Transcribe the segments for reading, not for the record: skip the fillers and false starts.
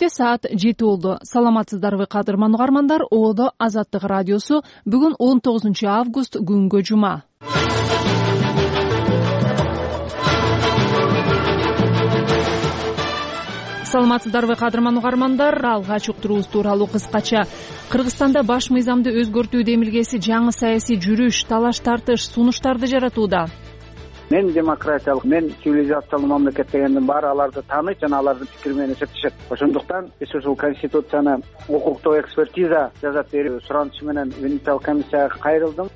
Кененирикте саат 7 болду. Саламатсыздарбы кадырман угармандар? Оодо Азаттык радиосу. Бүгүн 19 август күнгө жума. Саламатсыздарбы кадырман угармандар? Алгач уктуруубуз тууралуу кыскача. Кыргызстанда баш мыйзамды өзгөртүү демилгеси жаңы саясий жүрүш, талаш тартыш, сунуштарды жаратууда. Мен демократиялык, мен цивилизациялык мамлекет дегендин баары аларды тааныйт жана алардын пикири менен эсептешет. Ошондуктан биз ушул конституцияны укуктук экспертиза жасап берүү суранычы менен Венециялык комиссияга кайрылдым.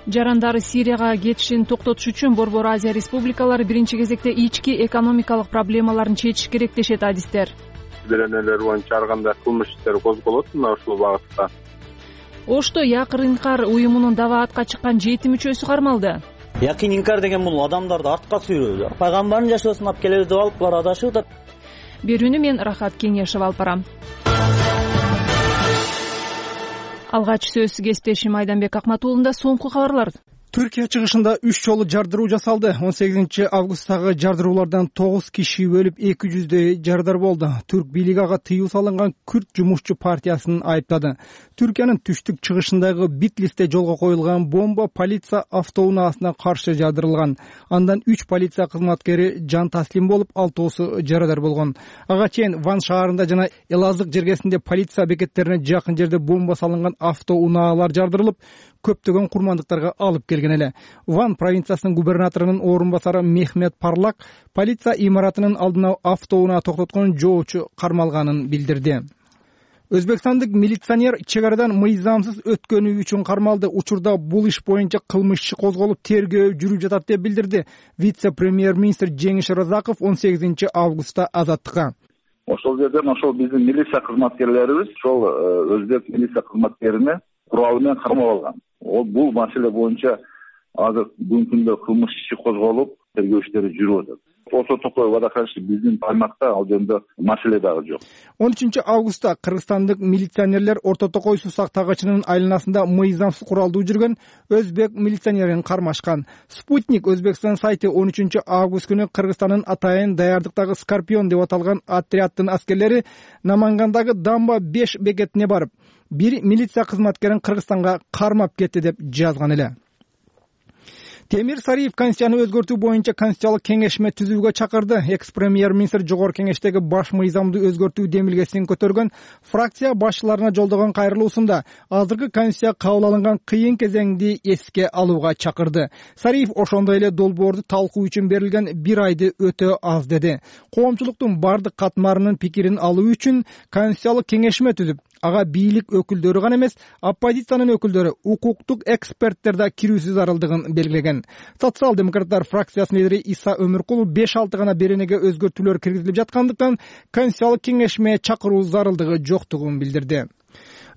Жарандары Сирияга кетишин токтотуш үчүн Борбор Азия республикалары биринчи кезекте ички экономикалык проблемаларын чечиш керек дешет адистер. Беренелер боюнча ар кандай кылмыш иштери козголот мына ушул багытта. Ошто Якын Инкар уюмунун даваатка чыккан 7 мүчөсү кармалды. Якын Инкар деген бул адамдарды артка сүйрөө, пайгамбардын жашоосун алып келебиз деп алып булар адашып. Берүүнү мен Рахат Кеңешева алып барам. Алгач сөз кесиптешим Айданбек Акматуулунда соңку кабарлар. Түркия чыгышында 3 жолу жардыруу жасалды. 18 августтагы жардыруулардан 9 киши өлүп, 200дөй жардар болду. Түрк бийлиги ага тыюу салынган Күрд жумушчу партиясын айыптады. Түркиянын түштүк чыгышындагы Битлисте жолго коюлган бомба полиция автоунаасына каршы жардырылган. Андан 3 полиция кызматкери жан таслим болуп, 6 жарадар болгон. Ага чейин Ван шаарында жана Элазык жергесинде полиция бекеттерине жакын жерде бомба салынган автоунаалар жардырылып, көптөгөн курмандыктарга алып келген эле. Ван провинциясынын губернаторунун орун басары Мехмет Парлак полиция имаратынын алдына автоунаа токтоткон жоочу кармалганын билдирди. Өзбекстандык милиционер чек арадан мыйзамсыз өткөнү үчүн кармалды. Учурда бул иш боюнча кылмыш иши козголуп, тергөө жүрүп жатат деп билдирди вице-премьер-министр Жеңиш Разаков 18 августта Азаттыкка. Ошол жерден ошол биздин милиция кызматкерлерибиз ошол өзбек милиция кызматкерине куралы менен кармап алган. Бул маселе боюнча азыр бүгүнкү күндө кылмыш иши козголуп, тергөө иштери жүрүп атат. Орто Токой водохранилище биздин аймакта ал жерде маселе дагы жок. 13 августта кыргызстандык милиционерлер Орто Токой суу сактагычынын айланасында мыйзамсыз куралдуу жүргөн өзбек милиционерин кармашкан. Спутник Өзбекстан сайты 13 август күнү Кыргызстандын атайын даярдыктагы Скорпион деп аталган отряддын аскерлери Намангандагы Дамба 5 бекетине барып, бир милиция кызматкерин Кыргызстанга кармап кетти деп жазган эле. Темир Сариев конституцияны өзгөртүү боюнча конституциялык кеңешме түзүүгө чакырды. Экс-премьер-министр жогорку кеңештеги баш мыйзамды өзгөртүү демилгесин көтөргөн фракция башчыларына жолдогон кайрылуусунда азыркы конституция кабыл алынган кыйын кезеңди эске алууга чакырды. Сариев ошондой эле долбоорду талкуу үчүн берилген 1 айды өтө аз деди. Коомчулуктун бардык катмарынын пикирин алуу үчүн конституциялык кеңешме түзүп, ага бийлик өкүлдөрү гана эмес, оппозициянын өкүлдөрү, укуктук эксперттер да кирүүсү зарылдыгын белгилеген. Социал-демократтар фракциясынын лидери Иса Өмүркулов 5-6 гана беренеге өзгөртүүлөр киргизилип жаткандыктан конституциялык кеңешме чакыруу зарылдыгы жоктугун билдирди.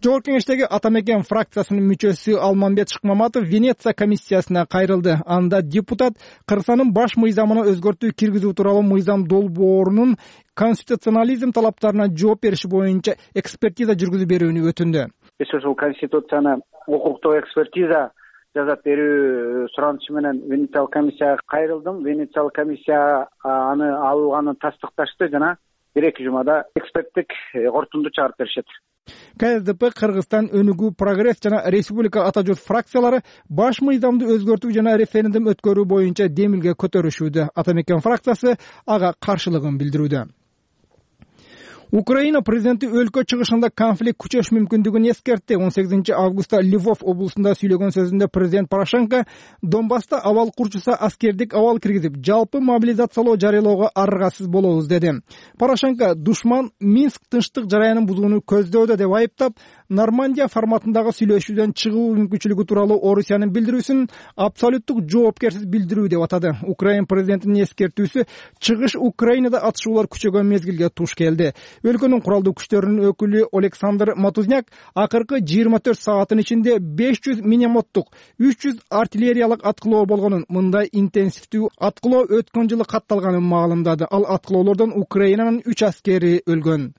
Жогорку кеңештеги Атамекен фракциясынын мүчөсү Алмамбет Шыкмаматов Венеция комиссиясына кайрылды. Анда депутат Кыргызстандын баш мыйзамына өзгөртүү киргизүү тууралуу мыйзам долбоорунун конституционализм талаптарына жооп бериш боюнча экспертиза жүргүзүп берүүнү өтүндү. Биз ушул конституцияны укуктук экспертиза жасап берүү суранычы менен Венециялык комиссияга кайрылдым. Венециялык комиссия аны алганын тастыкташты жана 1-2 жумада эксперттик корутунду чыгарып беришет. КСДП, Кыргызстан өнүгүү, прогресс жана республика ата журт фракциялары баш мыйзамды өзгөртүү жана референдум өткөрүү боюнча демилге көтөрүшүүдө. Атамекен фракциясы ага каршылыгын билдирүүдө. Украина президенти өлкө чыгышында конфликт күчөш мүмкүндүгүн эскертти. 18 августта Львов облусунда сүйлөгөн сөзүндө президент Порошенко Донбасста абал курчуса аскердик абал киргизип, жалпы мобилизациялоо жарыялоого аргасыз болобуз деди. Порошенко душман Минск тынчтык жараянын бузууну көздөдө деп айыптап, Нормандия форматындагы сүйлөшүүдөн чыгуу мүмкүнчүлүгү тууралуу Орусиянын билдирүүсүн абсолюттук жоопкерсиз билдирүү деп атады. Украина президентинин эскертүүсү чыгыш Украинада атышуулар күчөгөн мезгилге туш келди. Өлкөнүн куралдуу күчтөрүнүн өкүлү Александр Матузняк акыркы 24 сааттын ичинде 500 миномоттук, 300 артиллериялык аткылоо болгонун, мындай интенсивдүү аткылоо өткөн жылы катталганын маалымдады. Ал аткылоолордон Украинанын 3 аскери өлгөн.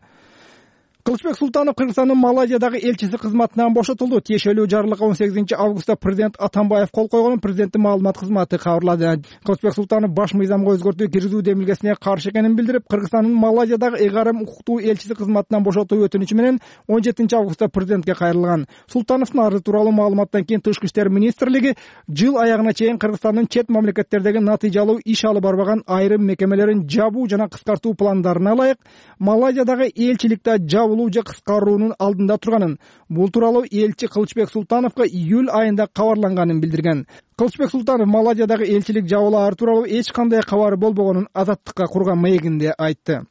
Кылычбек Султанов Кыргызстандын Малайзиядагы элчиси кызматынан бошотулду. Тиешелүү жарлыкка 18-августта президент Атамбаев кол койгонун президенттин маалымат кызматы кабарлады. Кылычбек Султанов баш мыйзамга өзгөртүү киргизүү демилгесине каршы экенин билдирип, Кыргызстандын Малайзиядагы ыйгарым укуктуу элчиси кызматынан бошотуу өтүнүчү менен 17-августта президентке кайрылган. Султановдун арызы тууралуу маалыматтан кийин Тышкы иштер министрлиги жыл аягына чейин Кыргызстандын чет мамлекеттердеги натыйжалуу иш алып барбаган айрым мекемелерин жабуу жана кыскартуу пландарына ылайык Малайзиядагы элчиликте жабылуу же кыскаруунун алдында турганын, бул тууралуу элчи Кылычбек Султановго июль айында кабарланганын билдирген. Кылычбек Султанов Малайзиядагы элчилик жабылаары тууралуу эч кандай кабары болбогонун Азаттыкка курган маегинде айтты.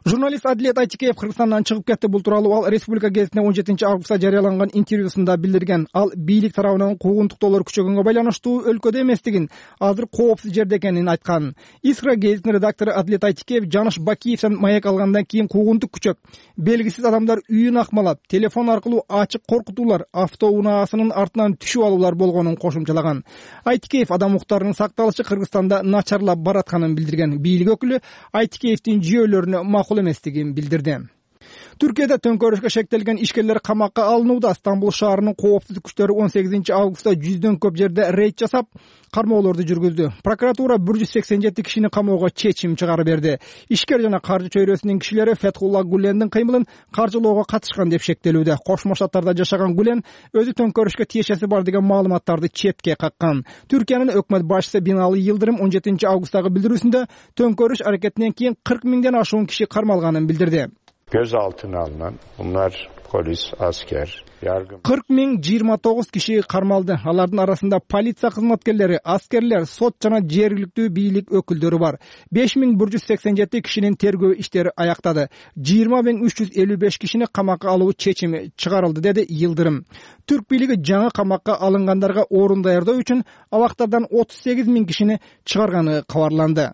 Журналист Адилет Айтикеев Кыргызстандан чыгып кетти. Бул тууралуу ал Республика гезитине 17-августта жарыяланган интервьюсунда билдирген. Ал бийлик тарабынан куугунтуктоолор күчөгөнгө байланыштуу өлкөдө эместигин, азыр коопсуз жерде экенин айткан. Искра гезитинин редактору Адилет Айтикеев Жаныш Бакиевден маек алгандан кийин куугунтук күчөп, белгисиз адамдар үйүн акмалап, телефон аркылуу ачык коркутуулар, автоунаасынын артынан түшүп алуулар болгонун кошумчалаган. Айтикеев адам укуктарынын сакталышы Кыргызстанда начарлап баратканын билдирген. Бийлик өкүлү Айтикеевдин жүйөлөрүнө макул эместигин билдирди. Түркияда төңкөрүшкө шектелген ишкерлер камакка алынууда. Стамбул шаарынын коопсуздук күчтөрү 18-августта 100дөн көп жерде рейд жасап, кармоолорду жүргүздү. Прокуратура 187 кишини камоого чечим чыгарып берди. Ишкер жана каржы чөйрөсүнүн кишилери Фетхулла Гулендин кыймылын каржылоого катышкан деп шектелүүдө. Кошмо Штаттарда жашаган Гулен өзү төңкөрүшкө тиешеси бар деген маалыматтарды четке каккан. Түркиянын өкмөт башчысы Бинали Йылдырым 17-августтагы билдирүүсүндө төңкөрүш аракетинен кийин 40 миңден ашуун киши кармалганын билдирди. Gözaltına alınan bunlar polis, asker, yargı. 40.029 kişi karmaldı. Алардын арасында полиция кызматкерлери, аскерлер, сот жана жергиликтүү бийлик өкүлдөрү бар. 5187 кишинин тергөө иштери аяктады. 20.355 кишини камакка алуу чечими чыгарылды, деди Йылдырым. Түрк бийлиги жаңы камакка алынгандарга орун даярдоо үчүн абактардан 38.000 кишини чыгарганы кабарланды.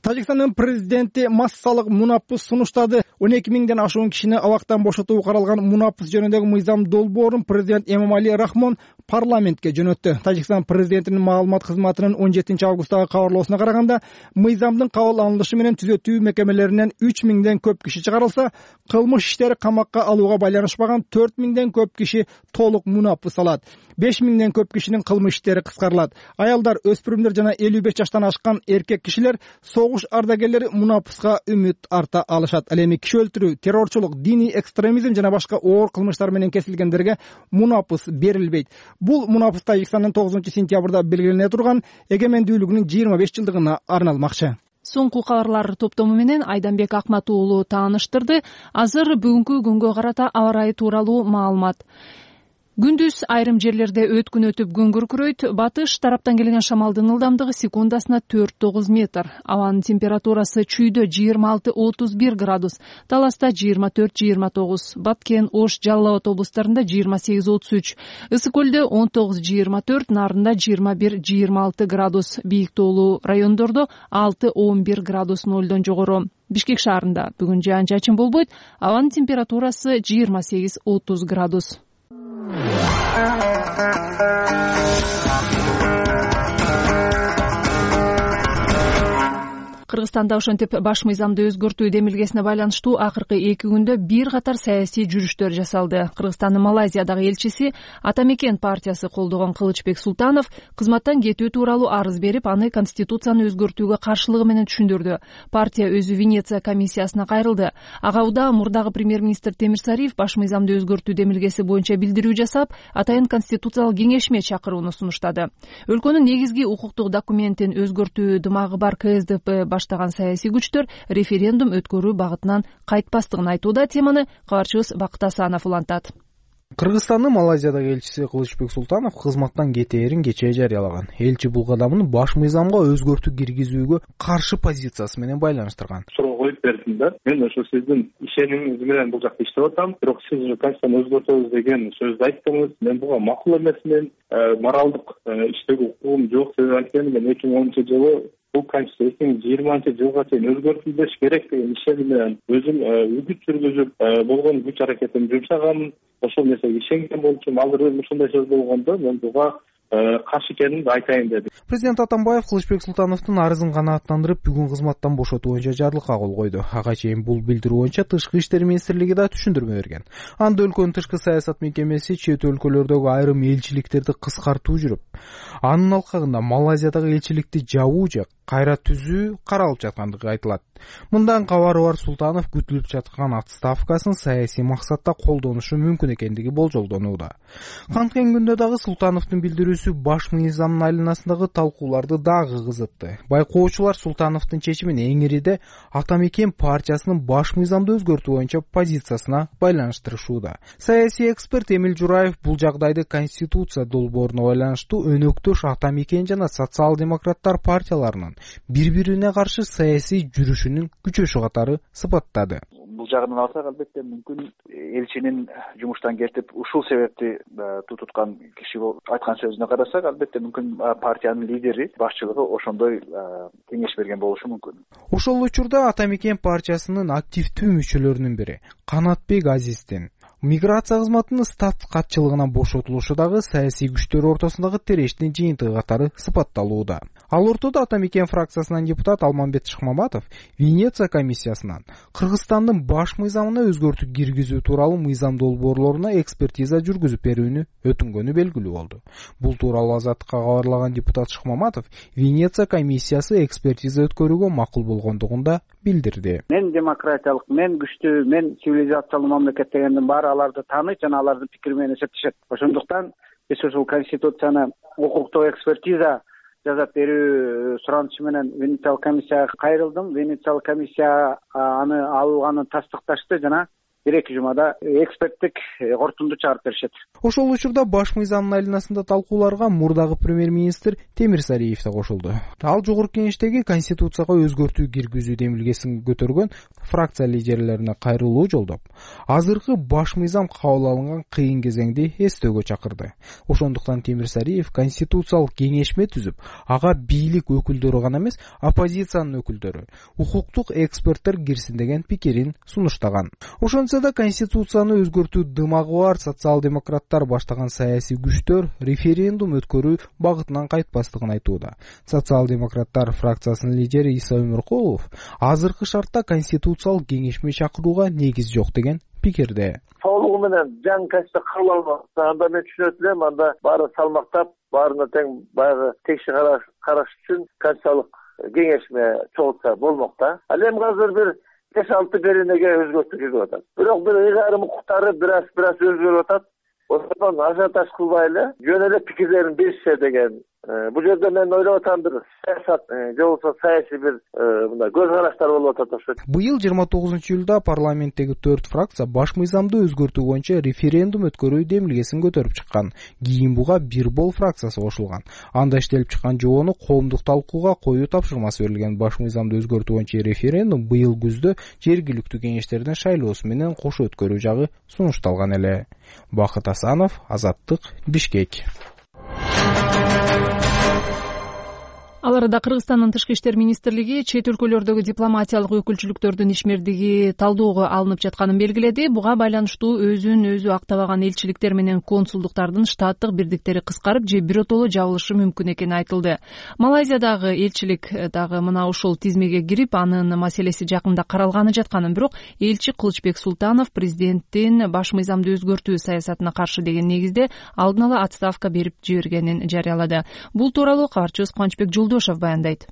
Тажикстандын президенти массалык мунапыс сунуштады. 12 миңден ашуун кишини абактан бошотуу каралган мунапыс жөнүндөгү мыйзам долбоорун президент Эмомали Рахмон парламентке жөнөттү. Тажикстан президентинин маалымат кызматынын 17-августтагы кабарлоосуна караганда, мыйзамдын кабыл алынышы менен түзөтүү мекемелеринен 3 миңден көп киши чыгарылса, кылмыш иштери камакка алууга байланышпаган 4 миңден көп киши толук мунапыс алат. 5 миңден көп кишинин кылмыш иштери кыскарылат. Аялдар, өспүрүмдөр жана 55 жаштан ашкан эркек кишилер согуш ардагерлери мунапыска үмүт арта алышат. Ал эми киши өлтүрүү, террорчулук, диний экстремизм жана башка оор кылмыштар менен кесилгендерге мунапыс берилбейт. Бул мунапыс Тажикстандын 9-сентябрда белгилене турган эгемендүүлүгүнүн 25 жылдыгына арналмакчы. Соңку кабарлар топтому менен Айданбек Акмат уулу тааныштырды. Азыр бүгүнкү күнгө карата аба ырайы тууралуу маалымат. Күндүз айрым жерлерде өткүн өтүп күн күркүрөйт. Батыш тараптан келген шамалдын ылдамдыгы секундасына 4-9 метр. Абанын температурасы чүйдө 26-31 градус, Таласта 24-29, Баткен, Ош, Жалал Абад облустарында 28-33, Ысык көлдө 19-24, Нарында 21-26 градус, Бийик тоолуу райондордо 6-11 градус нолдон жогору. Бишкек шаарында бүгүн жаан-чачын болбойт. Абанын температурасы 28-30 градус. Кыргызстанда ошентип баш мыйзамды өзгөртүү демилгесине байланыштуу акыркы 2 күндө бир катар саясий жүрүштөр жасалды. Кыргызстандын Малайзиядагы элчиси Атамекен партиясы колдогон Кылычбек Султанов кызматтан кетүү тууралуу арыз берип, аны конституцияны өзгөртүүгө каршылыгы менен түшүндүрдү. Партия өзү Венеция комиссиясына кайрылды. Ага удаа мурдагы премьер-министр Темирсариев баш мыйзамды өзгөртүү демилгеси боюнча билдирүү жасап, атайын конституциялык кеңешме чакырууну сунуштады. Өлкөнүн негизги укуктук документин өзгөртүү дымагы бар КСДП баштаган саясий күчтөр референдум өткөрүү багытынан кайтпастыгын айтууда. Теманы кабарчыбыз Бакыт Асанов улантат. Кыргызстандын Малайзиядагы элчиси Кылычбек Султанов кызматтан кетээрин кечээ жарыялаган. Элчи бул кадамын баш мыйзамга өзгөртүү киргизүүгө каршы позициясы менен байланыштырган. Суроо коюп бердим да. Мен ошо сиздин ишенимиңиз менен бул жакта иштеп атам. Бирок сиз конституцияны өзгөртөбүз деген сөздү айттыңыз. Мен буга макул эмесмин. Моралдык иштөөгө укугум жок. Себеби анткени мен 2010-жылы бул конституция 2020-жылга чейин өзгөртүлбеш керек деген ишеним менен өзүм үгүт жүргүзүп болгон күч аракетимди жумшагам. Ошол нерсеге ишенген болчумун. Азыр ушундай сөз болгондо мен буга каршы экенимди айтайын деди. Президент Атамбаев Кылычбек Султановдун арызын канааттандырып, бүгүн кызматтан бошотуу боюнча жарлыкка кол койду. Ага чейин бул билдирүү боюнча Тышкы иштер министрлиги да түшүндүрмө берген. Анда өлкөнүн тышкы саясат мекемеси чет өлкөлөрдөгү айрым элчиликтерди кыскартуу жүрүп, анын алкагында Малайзиядагы элчиликти жабуу же кайра түзүү каралып жаткандыгы айтылат. Мындан кабары бар Султанов күтүлүп жаткан отставкасын саясий максатта колдонушу мүмкүн экендиги болжолдонууда. Канткен күндө дагы Султановдун билдирүүсү баш мыйзамдын айланасындагы талкууларды дагы кызытты. Байкоочулар Султановдун чечимин эң ириде Ата Мекен партиясынын баш мыйзамды өзгөртүү боюнча позициясына байланыштырышууда. Саясий эксперт Эмил Жураев бул жагдайды Конституция долбооруна байланыштуу өнөктөш Ата Мекен жана социал-демократтар партияларынын бири-бирине каршы саясий жүрүшүнүн күчөшү катары сыпаттады. Бул жагынан алсак, албетте мүмкүн элчинин жумуштан кетип, ушул себепти тутуткан киши айткан сөзүнө карасак, албетте мүмкүн партиянын лидери, башчылыгы ошондой кеңеш берген болушу мүмкүн. Ошол учурда Ата Мекен партиясынын активдүү мүчөлөрүнүн бири Канатбек Азиздин миграция кызматынын стат катчылыгынан бошотулушу дагы саясий күчтөр ортосундагы терештин жыйынтыгы катары сыпатталууда. Ал ортодо Ата Мекен фракциясынан депутат Алмамбет Шыкмаматов Венеция комиссиясынан Кыргызстандын баш мыйзамына өзгөртүү киргизүү тууралуу мыйзам долбоорлоруна экспертиза жүргүзүп берүүнү өтүнгөнү белгилүү болду. Бул тууралуу Азаттыкка кабарлаган депутат Шыкмаматов Венеция комиссиясы экспертиза өткөрүүгө макул болгондугун да билдирди. Мен демократиялык, мен күчтүү, мен цивилизациялуу мамлекет дегендин баары аларды тааныйт жана алардын пикири менен эсептешет. Ошондуктан биз ушул конституцияны укуктук экспертиза жасап берүү суранычы менен Венециялык комиссияга кайрылдым. Венециялык комиссия аны алганын тастыкташты жана 1-2 жумада эксперттик кортунду чыгарып беришет. Ошол учурда баш мыйзамдын айланасында талкууларга мурдагы премьер-министр Темирсариев да кошулду. Ал жогорку кеңештеги конституцияга өзгөртүү киргизүү демилгесин көтөргөн фракция лидерлерине кайрылуу жолдоп, азыркы баш мыйзам кабыл алынган кыйын кезеңди эстөөгө чакырды. Ошондуктан Темирсариев конституциялык кеңешме түзүп, ага бийлик өкүлдөрү гана эмес, оппозициянын өкүлдөрү, укуктук эксперттер кирсин деген пикирин сунуштаган. Ошончо да конституцияны өзгөртүү дымагы бар социал-демократтар баштаган саясий күчтөр референдум өткөрүү багытынан кайтпастыгын айтууда. Социал-демократтар фракциясынын лидери Иса Өмүркулов азыркы шартта конституциялык кеңешме чакырууга негиз жок деген пикирде. Толугу менен жаңы конституция кабыл алынбаса, анда мен түшүнөт элем, анда баары салмактап, баарына тең баягы текши караш үчүн конституциялык кеңешме чогултса болмок да. Ал эми азыр бир 5-6 беренеге өзгөртүү киргип атат. Бирок бир ыйгарым укуктары бираз өзгөрүп атат. Ошондон ажиотаж кылбайлы, жөн эле пикирлерин беришсе деген. Бул жерде мен ойлоп атам, бир саясат же болбосо саясий бир мындай көз караштар болуп атат окшойт. Быйыл 29-июлда парламенттеги 4 фракция баш мыйзамды өзгөртүү боюнча референдум өткөрүү демилгесин көтөрүп чыккан. Кийин буга бир бол фракциясы кошулган. Анда иштелип чыккан жобону коомдук талкууга коюу тапшырмасы берилген. Баш мыйзамды өзгөртүү боюнча референдум быйыл күздө жергиликтүү кеңештердин шайлоосу менен кошо өткөрүү жагы сунушталган эле. Бакыт Асанов, Азаттык, Бишкек. Ал арада Кыргызстандын Тышкы иштер министрлиги чет өлкөлөрдөгү дипломатиялык өкүлчүлүктөрдүн ишмердиги талдоого алынып жатканын белгиледи. Буга байланыштуу өзүн өзү актабаган элчиликтер менен консулдуктардын штаттык бирдиктери кыскарып же биротоло жабылышы мүмкүн экени айтылды. Малайзиядагы элчилик дагы мына ушул тизмеге кирип, анын маселеси жакында каралганы жатканын, бирок элчи Кылычбек Султанов президенттин баш мыйзамды өзгөртүү саясатына каршы деген негизде алдын ала отставка берип жибергенин жарыялады. Бул тууралуу кабарчыбыз Кубанычбек баяндайт.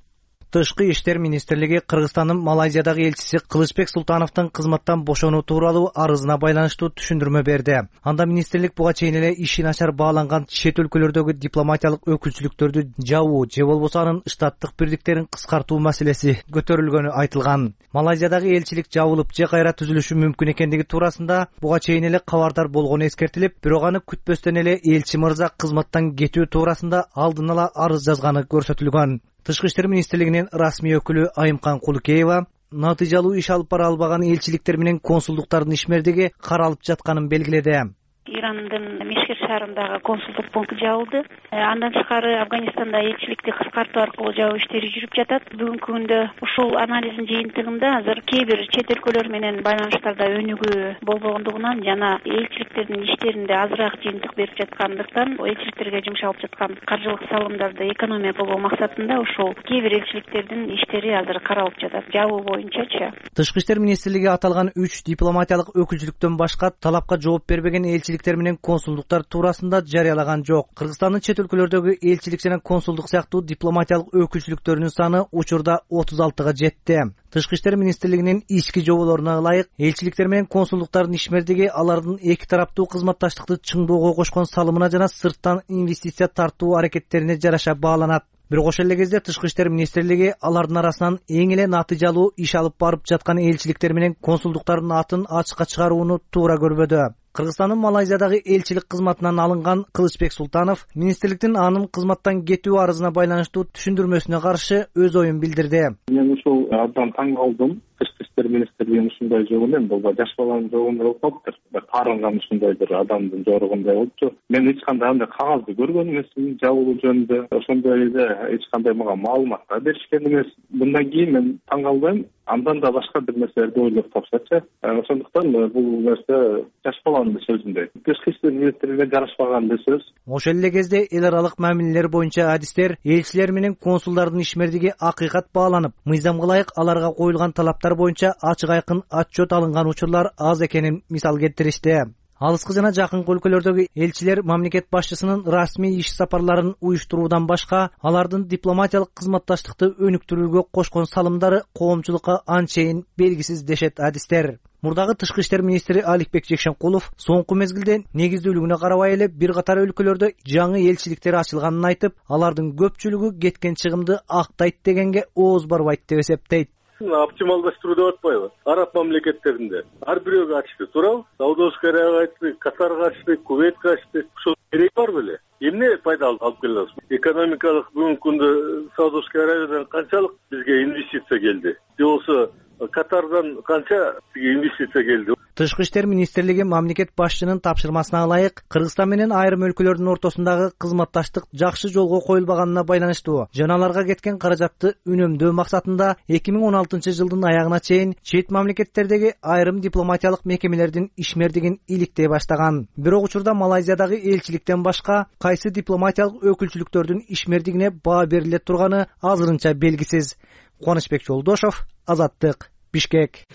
Тышкы иштер министрлиги Кыргызстандын Малайзиядагы элчиси Кылычбек Султановдун кызматтан бошонуу тууралуу арызына байланыштуу түшүндүрмө берди. Анда министрлик буга чейин эле иши начар бааланган чет өлкөлөрдөгү дипломатиялык өкүлчүлүктөрдү жабуу же болбосо анын штаттык бирдиктерин кыскартуу маселеси көтөрүлгөнү айтылган. Малайзиядагы элчилик жабылып же кайра түзүлүшү мүмкүн экендиги туурасында буга чейин эле кабардар болгону эскертилип, бирок аны күтпөстөн эле элчи мырза кызматтан кетүү туурасында алдын ала арыз жазганы көрсөтүлгөн. Тышкы иштер министрлигинин расмий өкүлү Айымкан Кулукеева натыйжалуу иш алып бара албаган элчиликтер менен консулдуктардын ишмердиги каралып жатканын белгиледи. Ирандын Мешхед шаарындагы консулдук пункт жабылды. Андан тышкары Афганистанда элчиликти кыскартуу аркылуу жабуу иштери жүрүп жатат. Бүгүнкү күндө ушул анализдин жыйынтыгында азыр кээ бир чет өлкөлөр менен байланыштарда өнүгүү болбогондугунан жана элчиликтердин иштеринде азыраак жыйынтык берип жаткандыктан элчиликтерге жумшалып жаткан каржылык салымдарды экономия кылуу максатында ушул кээ бир элчиликтердин иштери азыр каралып жатат. Жабуу боюнчачы. Тышкы иштер министрлиги аталган 3 дипломатиялык өкүлчүлүктөн башка талапка жооп бербеген элчиликтер менен консулдуктар туурасында жарыялаган жок. Кыргызстандын чет өлкөлөрдөгү элчилик жана консулдук сыяктуу дипломатиялык өкүлчүлүктөрүнүн саны учурда 36-га жетти. Тышкы иштер министрлигинин ички жоболоруна ылайык элчиликтер менен консулдуктардын ишмердиги алардын эки тараптуу кызматташтыкты чыңдоого кошкон салымына жана сырттан инвестиция тартуу аракеттерине жараша бааланат. Бирок ошол эле кезде Тышкы иштер министрлиги алардын арасынан эң эле натыйжалуу иш алып барып жаткан элчиликтер менен консулдуктардын атын ачыкка чыгарууну туура көрбөдү. Кыргызстандын Малайзиядагы элчилик кызматынан алынган Кылычбек Султанов министрликтин анын кызматтан кетүү арызына байланыштуу түшүндүрмөсүнө каршы өз оюн билдирди. Мен ушул абдан таң калдым. Тышкы иштер министрлигинин ушундай жогу эмес, бул жаш баланын жогундай болуп калыптыр. Таарынган ушундай бир адамдын жоругундай болупту. Мен эч кандай андай кагазды көргөн эмесмин жабылуу жөнүндө. Ошондой эле эч кандай мага маалымат да беришкен эмес. Мындан кийин мен таң калбайм. Андан да башка бир нерселерди ойлоп тапсачы. Ошондуктан бул нерсе жаш баланын сөзүндөй. Тышкы иштер министрлигине жарашпаган да сөз. Ошол эле кезде эл аралык мамилелер боюнча адистер элчилер менен консулдардын ишмердиги акыйкат бааланып, мыйзамга ылайык аларга коюлган талаптар боюнча ачык айкын отчет алынган учурлар аз экенин мисал келтиришти. Алыскы жана жакынкы өлкөлөрдөгү элчилер мамлекет башчысынын расмий иш сапарларын уюштуруудан башка алардын дипломатиялык кызматташтыкты өнүктүрүүгө кошкон салымдары коомчулукка анчейин белгисиз дешет адистер. Мурдагы Тышкы иштер министри Аликбек Жекшенкулов соңку мезгилде негиздүүлүгүнө карабай эле бир катар өлкөлөрдө жаңы элчиликтер ачылганын айтып, алардын көпчүлүгү кеткен чыгымды актайт дегенге ооз барбайт деп эсептейт. Оптималдаштыруу деп атпайбы? Араб мамлекеттеринде ар бирөөгө ачты, туурабы? Саудовская Аравия ачты, Катарга ачты, Кувейтке ачты. Ошол керек бар беле? Эмне пайда алып келе аласыз? Экономикалык бүгүнкү күндө Саудовская Аравиядан канчалык бизге инвестиция келди? Же болбосо Катардан канча бизге инвестиция келди? Тышкы иштер министрлиги мамлекет башчынын тапшырмасына ылайык Кыргызстан менен айрым өлкөлөрдүн ортосундагы кызматташтык жакшы жолго коюлбаганына байланыштуу жана аларга кеткен каражатты үнөмдөө максатында 2016-жылдын аягына чейин чет мамлекеттердеги айрым дипломатиялык мекемелердин ишмердигин иликтей баштаган. Бирок учурда Малайзиядагы элчиликтен башка кайсы дипломатиялык өкүлчүлүктөрдүн ишмердигине баа бериле турганы азырынча белгисиз. Кубанычбек Жолдошов, Азаттык, Бишкек.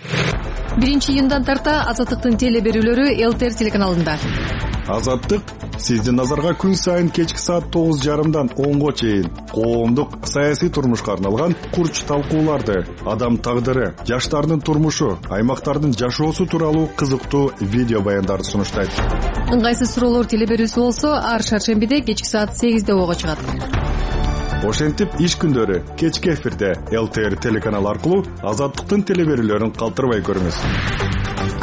1-июндан тарта Азаттыктын теле берүүлөрү ЛТР телеканалында. Азаттык сиздин назарга күн сайын кечки саат 9:30дан 10го чейин коомдук саясий турмушка арналган курч талкууларды, адам тагдыры, жаштардын турмушу, аймактардын жашоосу тууралуу кызыктуу видео баяндарды сунуштайт. Ыңгайсыз суроолор теле берүүсү болсо ар шаршембиде кечки саат 8де ого чыгат. Ошентип иш күндөрү кечки эфирде ЛТР телеканалы аркылуу Азаттыктын теле берүүлөрүн калтырбай көрүңүз.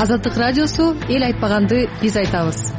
Азаттык радиосу эл айтпаганды биз айтабыз.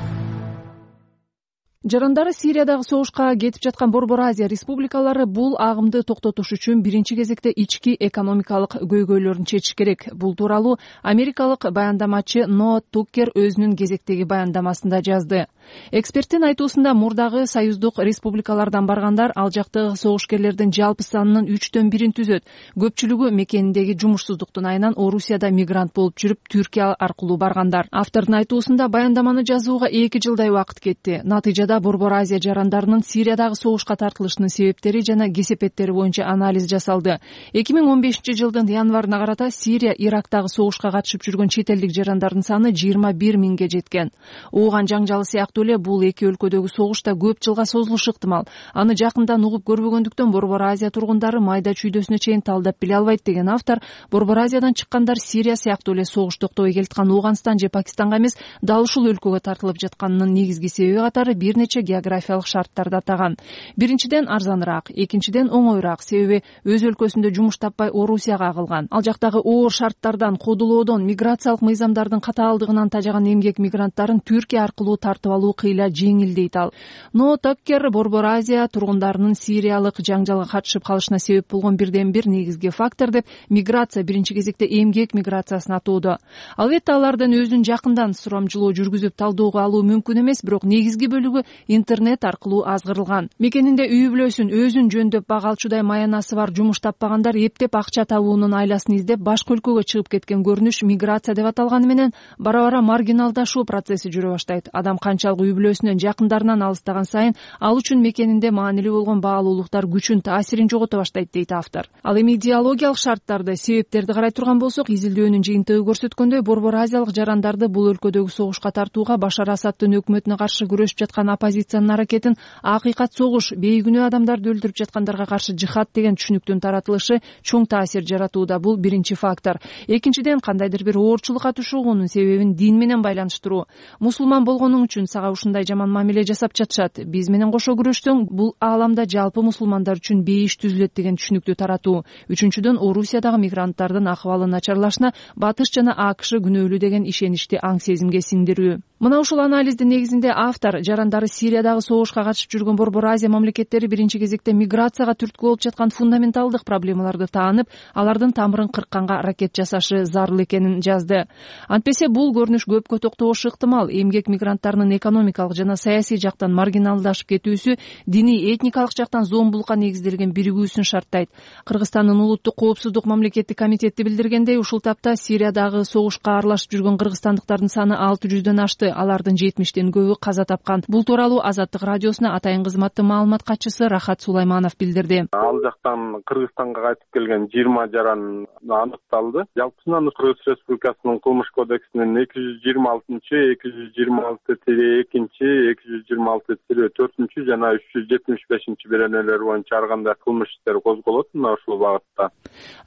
Жарандары Сириядагы согушка кетип жаткан Борбор Азия республикалары бул агымды токтотуш үчүн биринчи кезекте ички экономикалык көйгөйлөрүн чечиш керек. Бул тууралуу америкалык баяндамачы Ноа Туккер өзүнүн кезектеги баяндамасында жазды. Эксперттин айтуусунда мурдагы союздук республикалардан баргандар ал жактагы согушкерлердин жалпы санынын 1/3 түзөт. Көпчүлүгү мекениндеги жумушсуздуктун айынан Орусияда мигрант болуп жүрүп, Түркия аркылуу баргандар. Автордун айтуусунда баяндаманы жазууга 2 жылдай убакыт кетти. Натыйжада Борбор Азия жарандарынын Сириядагы согушка тартылышынын себептери жана кесепеттери боюнча анализ жасалды. 2015-жылдын январына карата Сирия, Ирактагы согушка катышып жүргөн чет элдик жарандардын саны 21 миңге жеткен. Ууган жаңжалы сыяктуу эле бул эки өлкөдөгү согуш да көп жылга созулушу ыктымал. Аны жакындан угуп көрбөгөндүктөн Борбор Азия тургундары майда чүйдөсүнө чейин талдап биле албайт деген автор, Борбор Азиядан чыккандар Сирия сыяктуу эле согуш токтобой келаткан Ууганстан же Пакистанга эмес, дал ушул өлкөгө тартылып жатканынын негизги себеби катары бир нече географиялык шарттарды атаган. Биринчиден арзаныраак, экинчиден оңоюраак, себеби өз өлкөсүндө жумуш таппай Орусияга агылган. Ал жактагы оор шарттардан, кодулоодон, миграциялык мыйзамдардын катаалдыгынан тажаган эмгек мигранттарын Түркия аркылуу тартып алуу алуу кыйла жеңил дейт ал. Но Таккер Борбор Азия тургундарынын Сириялык жаңжалга катышып калышына себеп болгон бирден бир негизги фактор деп миграция, биринчи кезекте эмгек миграциясын атоодо. Албетте алардын өзүн жакындан сурамжылоо жүргүзүп талоого алуу мүмкүн эмес, бирок негизги бөлүгү интернет аркылуу азгырылган. Мекенинде үй бүлөсүн өзүн жөндөп багалчудай маянасы бар жумуш таппагандар эптеп акча табуунун айласын издеп башка өлкөгө чыгып кеткен көрүнүш миграция деп аталганы менен бара-бара маргиналдашуу процесси жүрө баштайт. Адам канчалык үй бүлөсүнөн, жакындарынан алыстаган сайын ал үчүн мекенинде маанилүү болгон баалуулуктар күчүн, таасирин жогото баштайт дейт автор. Ал эми идеологиялык шарттарды, себептерди карай турган болсок, изилдөөнүн жыйынтыгы көрсөткөндөй, Борбор Азиялык жарандарды бул өлкөдөгү согушка тартууга Башар Асадтын өкмөтүнө каршы күрөшүп жаткан оппозициянын аракетин акыйкат согуш, бейгүнөө адамдарды өлтүрүп жаткандарга каршы жихад деген түшүнүктүн таратылышы чоң таасир жаратууда. Бул биринчи фактор. Экинчиден, кандайдыр бир оорчулук атышуугунун себебин дин менен байланыштыруу. Мусулман болгонуң үчүн сага ушундай жаман мамиле жасап жатышат. Биз менен кошо күрөшсөң, бул ааламда жалпы мусулмандар үчүн бейиш түзүлөт деген түшүнүктү таратуу. Үчүнчүдөн, Орусиядагы мигранттардын акыбалынын начарлашына Батыш жана АКШ күнөөлүү деген ишеничти аң сезимге сиңдирүү. Мына ушул анализдин негизинде автор жарандары Сириядагы согушка катышып жүргөн Борбор Азия мамлекеттери биринчи кезекте миграцияга түрткү болуп жаткан фундаменталдык проблемаларды таанып, алардын тамырын кыркканга аракет жасашы зарыл экенин жазды. Антпесе бул көрүнүш көпкө токтогошу ыктымал. Эмгек мигранттарынын экономикалык жана саясий жактан маргиналдашып кетүүсү диний, этникалык жактан зомбулукка негизделген биригүүсүн шарттайт. Кыргызстандын улуттук коопсуздук мамлекеттик комитети билдиргендей, ушул тапта Сириядагы согушка аралашып жүргөн кыргызстандыктардын саны 600дөн ашты. Алардын 70тен көбү каза тапкан. Бул тууралуу Азаттык радиосуна атайын кызматтын маалымат катчысы Рахат Сулайманов билдирди. Ал жактан Кыргызстанга кайтып келген 20 жаран аныкталды. Жалпысынан Кыргыз Республикасынын кылмыш кодексинин 226, 226-2, 226-4 жана 375 беренелери боюнча ар кандай кылмыш иштери козголот мына ушул багытта.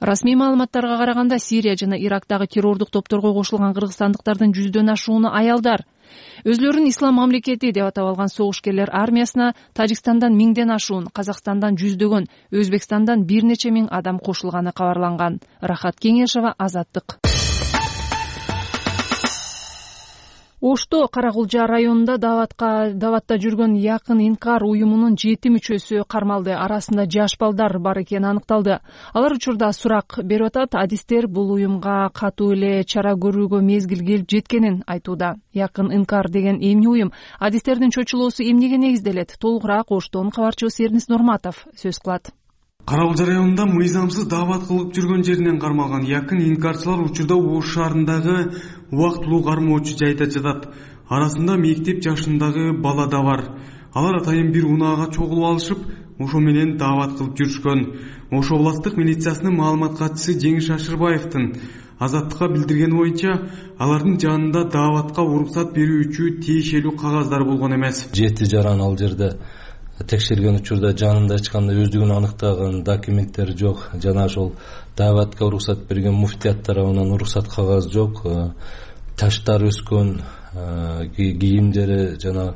Расмий маалыматтарга караганда, Сирия жана Ирактагы террордук топторго кошулган кыргызстандыктардын 100дөн ашууну аялдар. Өзлөрүн ислам мамлекети деп атап алган согушкерлер армиясына Тажикстандан 1000ден ашуун, Казакстандан 100дөгөн, Өзбекстандан бир нече миң адам кошулганы кабарланган. Рахат Кеңешова, Азаттык. Ошто Каракулжа районунда даватта жүргөн Якын Инкар уюмунун 7 мүчөсү кармалды. Арасында жаш балдар бар экени аныкталды. Алар учурда сурак берип атат. Адистер бул уюмга катуу эле чара көрүүгө мезгил келип жеткенин айтууда. Якын Инкар деген эмне уюм? Адистердин чочулоосу эмнеге негизделет? Толугураак Оштон кабарчыбыз Эрнис Нурматов сөз кылат. Каракулжа районунда мыйзамсыз даават кылып жүргөн жеринен кармалган Якын Инкарчылар учурда Ош шаарындагы убактылуу кармоочу жайда жатат. Арасында мектеп жашындагы бала да бар. Алар атайын бир унаага чогулуп алышып, ошо менен даават кылып жүрүшкөн. Ош областтык милициясынын маалымат катчысы Жеңиш Ашырбаевдин Азаттыкка билдиргени боюнча, алардын жанында дааватка уруксат берүүчү тиешелүү кагаздар болгон эмес. 7 жаран ал жерде текшерген учурда жанында эч кандай өздүгүн аныктаган документтер жок, жана ошол дааватка уруксат берген муфтият тарабынан уруксат кагаз жок, таштар өскөн, кийимдери жана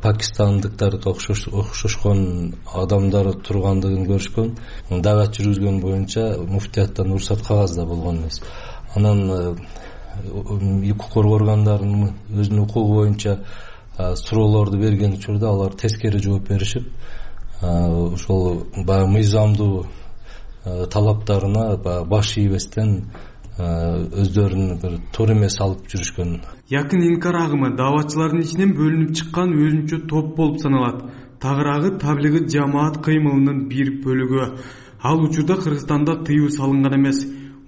пакистандыктарга окшошкон адамдар тургандыгын көрүшкөн. Даават жүргүзгөн боюнча муфтияттан уруксат кагаз да болгон эмес. Анан укук коргоо органдарынын өзүнүн укугу боюнча суроолорду берген учурда алар тескери жооп беришип, ошол баягы мыйзамдуу талаптарына баш ийбестен өздөрүн бир туура эмес алып жүрүшкөн. Якын Инкар агымы дааватчылардын ичинен бөлүнүп чыккан өзүнчө топ болуп саналат. Тагыраагы таблиги жамаат кыймылынын бир бөлүгү. Ал учурда Кыргызстанда тыюу салынган эмес.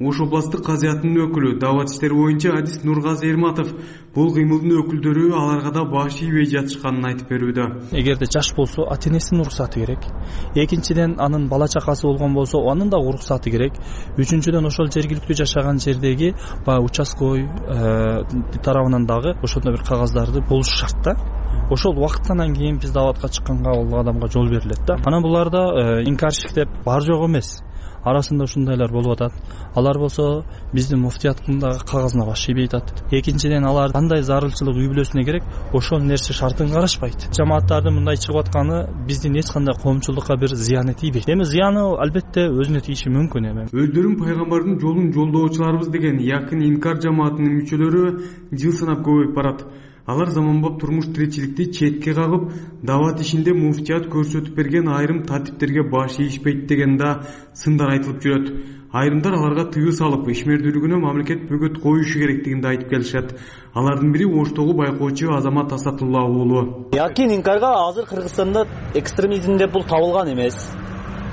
Ош областтык казыятынын өкүлү, даават иштери боюнча адис Нургазы Эрматов бул кыймылдын өкүлдөрү аларга да баш ийбей жатышканын айтып берүүдө. Эгерде жаш болсо, ата-энесинин уруксаты керек. Экинчиден, анын бала чакасы болгон болсо, анын да уруксаты керек. Үчүнчүдөн, ошол жергиликтүү жашаган жердеги участкой тарабынан дагы ошондой бир кагаздарды болушу шарт да. Ошол убакыттан кийин биз дааватка чыкканга ал адамга жол берилет да. Анан буларда инкарщик деп бар жок эмес. Арасында ушундайлар болуп атат. Алар болсо биздин муфтияттын кагазына баш ийбей атат. Экинчиден, алар кандай зарылчылык үй бүлөсүнө керек, ошол нерсе шартын карашпайт. Жамааттардын мындай чыгып атканы биздин эч кандай коомчулукка бир зыяны тийбейт. Эми зыяны албетте өзүнө тийиши мүмкүн эми. Өздөрүн пайгамбардын жолун жолдоочуларыбыз деген Якын Инкар жамаатынын мүчөлөрү жыл санап көбөйүп барат. Алар заманбап турмуш тиричиликти четке кагып, дават ишинде муфтият көрсөтүп берген айрым тартиптерге баш ийишпейт деген да сындар айтылып жүрөт. Айрымдар аларга тыюу салып, ишмердүүлүгүнө мамлекет бөгөт коюшу керектигин да айтып келишет. Алардын бири Оштогу байкоочу Азамат Асатулла уулу. Якин инкарга азыр Кыргызстанда экстремизм деп бул табылган эмес.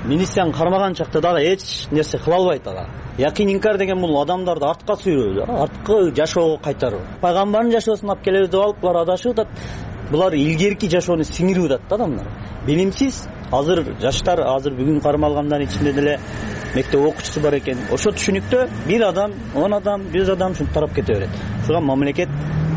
Милицияны кармаган чакта дагы эч нерсе кыла албайт ага. Якин инкар деген бул адамдарды артка сүйрөө, арткы жашоого кайтаруу. Пайгамбардын жашоосун алып келебиз деп алып булар адашып атат. Булар илгерки жашоону сиңирип атат да адамдар. Билимсиз азыр жаштар бүгүн кармалгандар ичинде деле мектеп окуучусу бар экен. Ошо түшүнүктө бир адам, 10 адам, 100 адам ушинтип тарап кете берет. Ошого мамлекет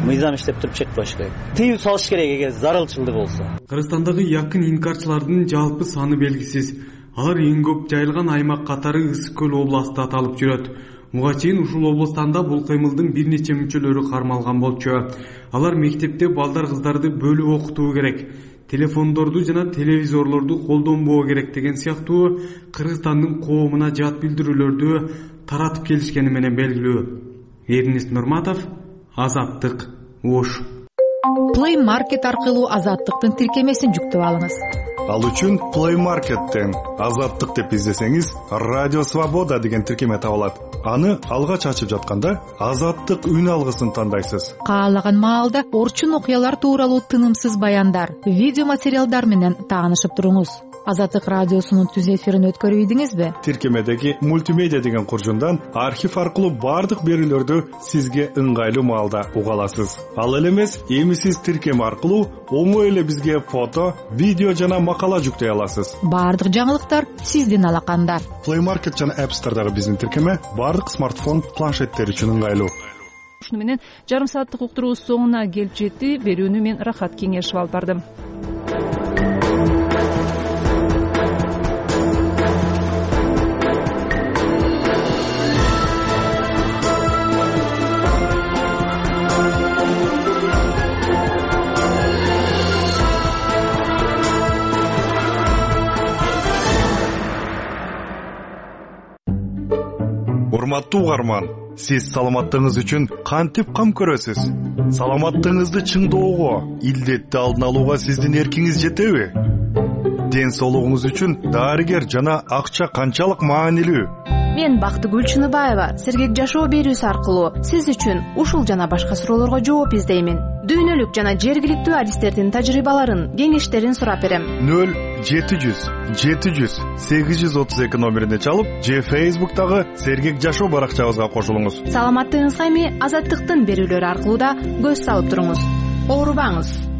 мыйзам иштеп туруп чек коюш керек. Тыюу салыш керек эгер зарылчылык болсо. Кыргызстандагы якын инкарчылардын жалпы саны белгисиз. Алар эң көп жайылган аймак катары Ысык көл областы аталып жүрөт. Буга чейин ушул областанда бул кыймылдын бир нече мүчөлөрү кармалган болчу. Алар мектепте балдар кыздарды бөлүп окутуу керек, телефондорду жана телевизорлорду колдонбоо керек деген сыяктуу Кыргызстандын коомуна жат билдирүүлөрдү таратып келишкени менен белгилүү. Эрнест Нурматов, Азаттык, Ош. Play Market аркылуу Азаттыктын тиркемесин жүктөп алыңыз. Ал үчүн Play Market'тен Азаттык деп издесеңиз, Радио Свобода деген тиркеме табылат. Аны алгач ачып жатканда Азаттык үн алгысын тандайсыз. Каалаган маалда орчун окуялар тууралуу тынымсыз баяндар, видео материалдар менен таанышып туруңуз. Азаттык радиосунун түз эфирин өткөрүп ийдиңизби? Тиркемедеги мультимедиа деген куржундан архив аркылуу бардык берүүлөрдү сизге ыңгайлуу маалда уга аласыз. Ал эле эмес, эми сиз тиркеме аркылуу оңой эле бизге фото, видео жана макала жүктөй аласыз. Бардык жаңылыктар сиздин алаканда. Play Market жана App Store'дагы биздин тиркеме бардык смартфон, планшеттер үчүн ыңгайлуу. Ушуну менен жарым сааттык уктуруубуз соңуна келип жетти. Берүүнү мен Рахат Кеңешов алып бардым. Урматтуу угарман, сиз саламаттыгыңыз үчүн кантип кам көрөсүз? Саламаттыгыңызды чыңдоого, илдетти алдын алууга сиздин эркиңиз жетеби? Ден соолугуңуз үчүн дарыгер жана акча канчалык маанилүү? Мен Бактыгүл Чыныбаева сергек жашоо берүүсү аркылуу сиз үчүн ушул жана башка суроолорго жооп издеймин. Дүйнөлүк жана жергиликтүү адистердин тажрыйбаларын, кеңештерин сурап берем. 0-700-832 номерине чалып, же Facebook'тагы сергек жашоо баракчабызга кошулуңуз. Саламаттыгыңызга эми Азаттыктын берүүлөрү аркылуу да көз салып туруңуз. Оорубаңыз.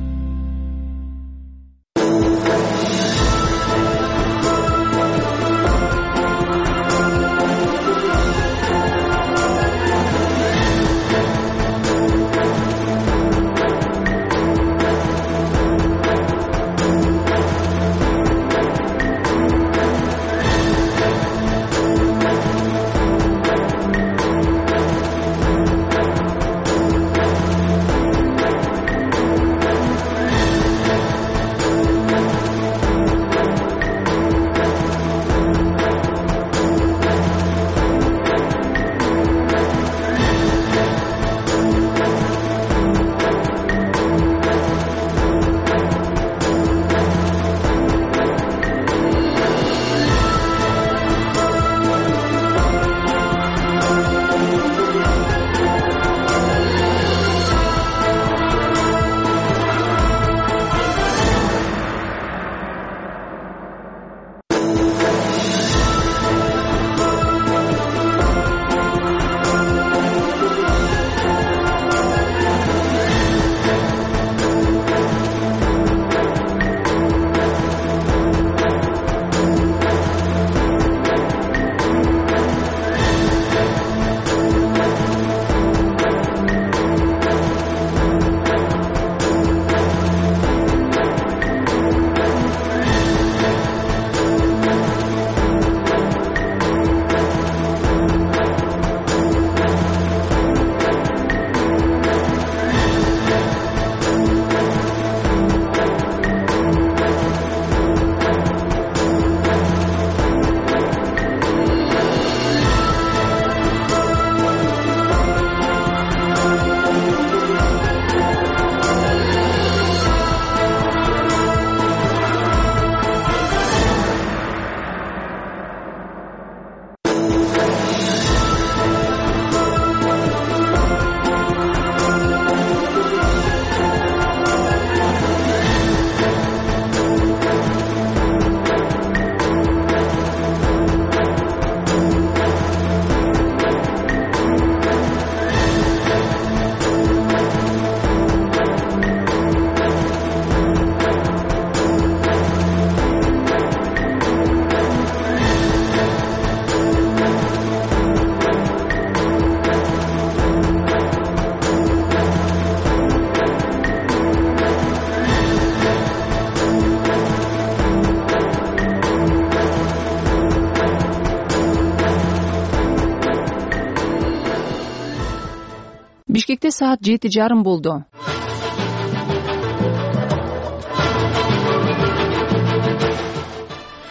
Бишкекте саат 7:30 болду.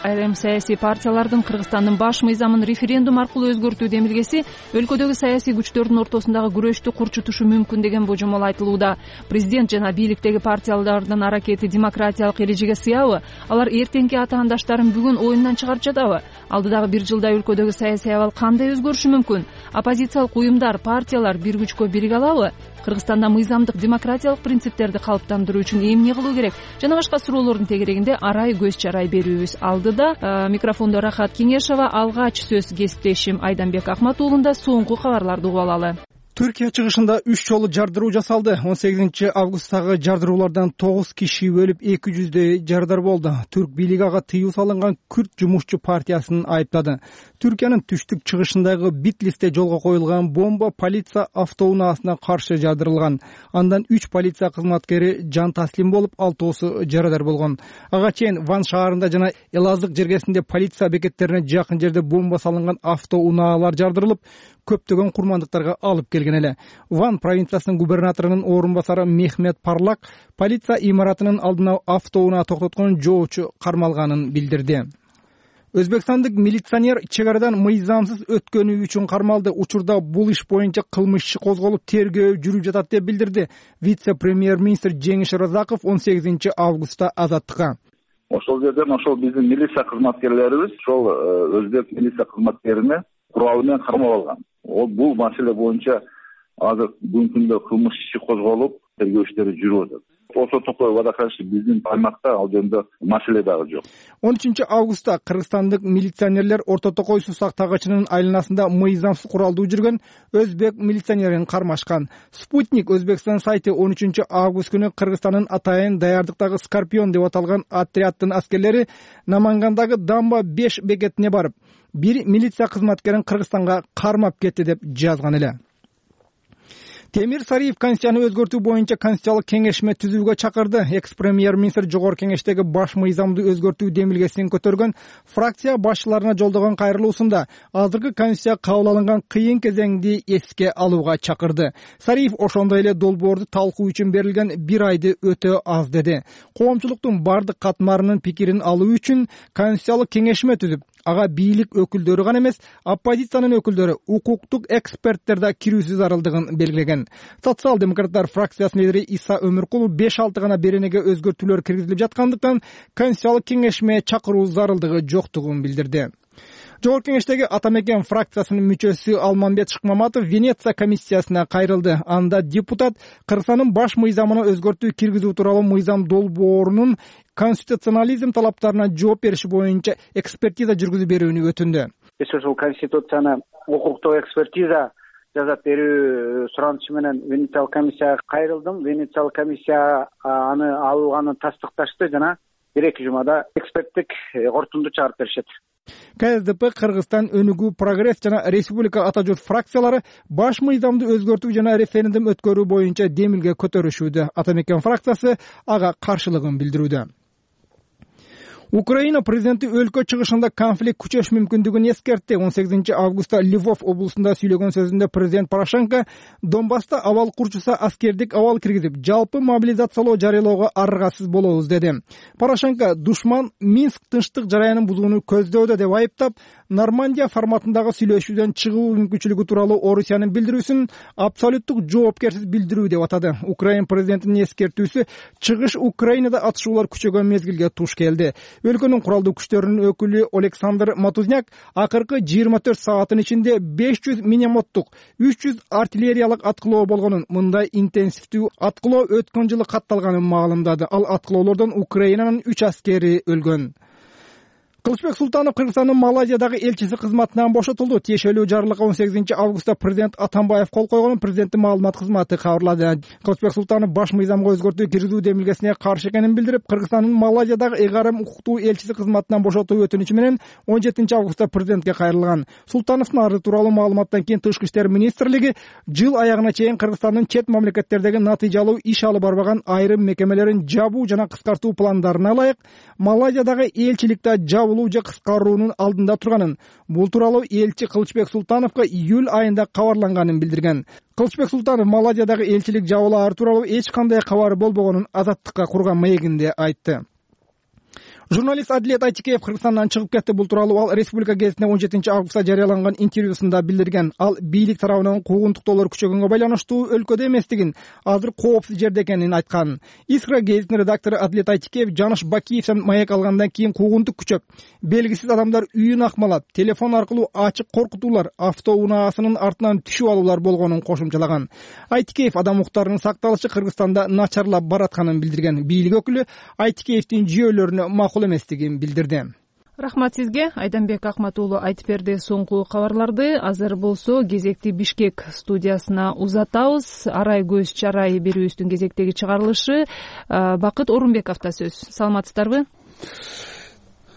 Айрым саясий партиялардын Кыргызстандын баш мыйзамын референдум аркылуу өзгөртүү демилгеси өлкөдөгү саясий күчтөрдүн ортосундагы күрөштү курчутушу мүмкүн деген божомол айтылууда. Президент жана бийликтеги партиялардын аракети демократиялык эрежеге сыябы? Алар эртеңки атаандаштарын бүгүн оюндан чыгарып жатабы? Алдыдагы бир жылда өлкөдөгү саясий абал кандай өзгөрүшү мүмкүн? Оппозициялык уюмдар, партиялар бир күчкө бириге алабы? Кыргызстанда мыйзамдык демократиялык принциптерди калыптандыруу үчүн эмне кылуу керек? Жана башка суроолордун тегерегинде арай көз чарай берүүбүз. Алдыда микрофондо Рахат Кеңешова, алгач сөз кесиптешим Айданбек Акматуулунда соңку кабарларды угуп алалы. Түркия чыгышында 3 жолу жардыруу жасалды. 18 августтагы жардыруулардан 9 киши өлүп, 200дөй жардар болду. Түрк бийлиги ага тыюу салынган Күрд жумушчу партиясын айыптады. Түркиянын түштүк чыгышындагы Битлисте жолго коюлган бомба полиция автоунаасына каршы жардырылган. Андан 3 полиция кызматкери жан таслим болуп, 6-оосу жарадар болгон. Ага чейин Ван шаарында жана Элазык жергесинде полиция бекеттерине жакын жерде бомба салынган автоунаалар жардырылып, көптөгөн курмандыктарга алып келген эле. Ван провинциясынын губернаторунун орун басары Мехмет Парлак полиция имаратынын алдына автоунаа токтоткон жоочу кармалганын билдирди. Өзбекстандык милиционер чек арадан мыйзамсыз өткөнү үчүн кармалды. Учурда бул иш боюнча кылмыш иши козголуп, тергөө жүрүп жатат деп билдирди вице-премьер-министр Жеңиш Разаков 18 августта Азаттыкка. Ошол жерден ошол биздин милиция кызматкерлерибиз ошол өзбек милиция кызматкерине куралы менен кармап алган. Бул маселе боюнча азыр бүгүнкү күндө кылмыш иши козголуп, тергөө иштери жүрүп атат. Ошо токой вадаканчы биздин аймакта ал жөнүндө маселе дагы жок. 13 августта кыргызстандык милиционерлер Орто Токой Сусак тагачынын айланасында мыйзамсыз куралдуу жүргөн өзбек милиционерин кармашкан. Спутник Өзбекстан сайты 13 август күнү Кыргызстандын атайын даярдыктагы Скорпион деп аталган отряддын аскерлери Намангандагы Дамба 5 бекетине барып, бир милиция кызматкерин Кыргызстанга кармап кетти деп жазган эле. Темир Сариев Конституцияны өзгөртүү боюнча Конституциялык кеңешме түзүүгө чакырды. Экс-премьер-министр жогорку кеңештеги баш мыйзамды өзгөртүү демилгесин көтөргөн фракция башчыларына жолдогон кайрылуусунда азыркы Конституция кабыл алынган кыйын кезеңди эске алууга чакырды. Сариев ошондой эле долбоорду талкуу үчүн берилген 1 айды өтө аз деди. Коомчулуктун бардык катмарынын пикирин алуу үчүн Конституциялык кеңешме түзүп, ага бийлик өкүлдөрү гана эмес, оппозициянын өкүлдөрү, укуктук эксперттер да кирүүсү зарылдыгын белгилеген. Социал-демократтар фракциясынын лидери Иса Өмүркулов 5-6 гана беренеге өзгөртүүлөр киргизилип жаткандыктан Конституциялык кеңешме чакыруу зарылдыгы жоктугун билдирди. Жогорку кеңештеги Ата Мекен фракциясынын мүчөсү Алманбет Шыкмаматов Венеция комиссиясына кайрылды. Анда депутат Кыргызстандын баш мыйзамына өзгөртүү киргизүү тууралуу мыйзам долбоорунун конституционализм талаптарына жооп бериши боюнча экспертиза жүргүзүп берүүнү өтүндү. Ошол конституцияны укуктук экспертиза жасап берүү суранычы менен Венециялык комиссияга кайрылдым. Венециялык комиссия аны алганын тастыкташты жана 1-2 жумада эксперттик корутунду чыгарып беришет. КСДП, Кыргызстан өнүгүү, Прогресс жана Республика Ата журт фракциялары баш мыйзамды өзгөртүү жана референдум өткөрүү боюнча демилге көтөрүшүүдө. Ата Мекен фракциясы ага каршылыгын билдирүүдө. Украина президенти өлкө чыгышында конфликт күчөш мүмкүндүгүн эскертти. 18 августта Львов облусунда сүйлөгөн сөзүндө президент Порошенко Донбасста абал курчуса аскердик абал киргизип, жалпы мобилизациялоо жарыялоого аргасыз болобуз деди. Порошенко душман Минск тынчтык жараянын бузууну көздөдө деп айыптап, Нормандия форматындагы сүйлөшүүдөн чыгуу мүмкүнчүлүгү тууралуу Орусиянын билдирүүсүн абсолюттук жоопкерсиз билдирүү деп атады. Украина президентинин эскертүүсү чыгыш Украинада атышуулар күчөгөн мезгилге туш келди. Өлкөнүн куралдуу күчтөрүнүн өкүлү Александр Матузняк акыркы 24 сааттын ичинде 500 миномоттук, 300 артиллериялык аткылоо болгонун, мындай интенсивдүү аткылоо өткөн жылы катталганын маалымдады. Ал аткылоолордон Украинанын 3 аскери өлгөн. Кылычбек Султанов Кыргызстандын Малайзиядагы элчиси кызматынан бошотулду. Тиешелүү жарлыкка 18 августта президент Атамбаев кол койгонун президенттин маалымат кызматы кабарлады. Кылычбек Султанов баш мыйзамга өзгөртүү киргизүү демилгесине каршы экенин билдирип, Кыргызстандын Малайзиядагы ыйгарым укуктуу элчиси кызматынан бошотуу өтүнүчү менен 17 августта президентке кайрылган. Султановдун арызы тууралуу маалыматтан кийин Тышкы иштер министрлиги жыл аягына чейин Кыргызстандын чет мамлекеттердеги натыйжалуу иш алып барбаган айрым мекемелерин жабуу жана кыскартуу пландарына ылайык Малайзиядагы элчиликте жабылуу жабылуу же кыскаруунун алдында турганын, бул тууралуу элчи Кылычбек Султановго июль айында кабарланганын билдирген. Кылычбек Султанов Малайзиядагы элчилик жабылаары тууралуу эч кандай кабары болбогонун Азаттыкка курган маегинде айтты. Журналист Адилет Айтикеев Кыргызстандан чыгып кетти. Бул тууралуу ал Республика гезитине 17 августта жарыяланган интервьюсунда билдирген. Ал бийлик тарабынан куугунтуктоолор күчөгөнгө байланыштуу өлкөдө эместигин, азыр коопсуз жерде экенин айткан. Искра гезитинин редактору Адилет Айтикеев Жаныш Бакиевден маек алгандан кийин куугунтук күчөп, белгисиз адамдар үйүн акмалап, телефон аркылуу ачык коркутуулар, автоунаасынын артынан түшүп алуулар болгонун кошумчалаган. Айтикеев адам укуктарынын сакталышы Кыргызстанда начарлап баратканын билдирген. Бийлик өкүлү Айтикеевдин жүйөлөрүнө макул эместигин билдирди. Рахмат сизге. Айданбек Акмат уулу айтып берди соңку кабарларды. Азыр болсо кезекти Бишкек студиясына узатабыз. Арай көз чарай берүүбүздүн кезектеги чыгарылышы Бакыт Орунбековдо сөз. Саламатсыздарбы?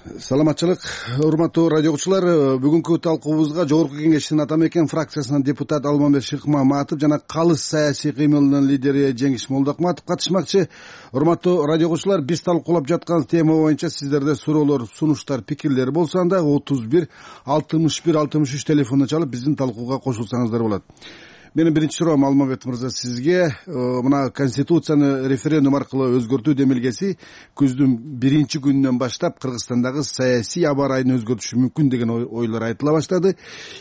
Саламатчылык, урматтуу радио угуучулар. Бүгүнкү талкуубузга Жогорку Кеңештин Ата Мекен фракциясынан депутат Алмамбет Шыкмаматов жана Калыс саясий кыймылынын лидери Жеңиш Молдокматов катышмакчы. Урматтуу радио угуучулар, биз талкуулап жаткан тема боюнча сиздерде суроолор, сунуштар, пикирлер болсо анда 31 61 63 телефонуна чалып биздин талкууга кошулсаңыздар болот. Менин биринчи суроом Алмамбет мырза сизге. Мына Конституцияны референдум аркылуу өзгөртүү демилгеси күздүн 1 күнүнөн баштап Кыргызстандагы саясий аба ырайын өзгөртүшү мүмкүн деген ойлор айтыла баштады.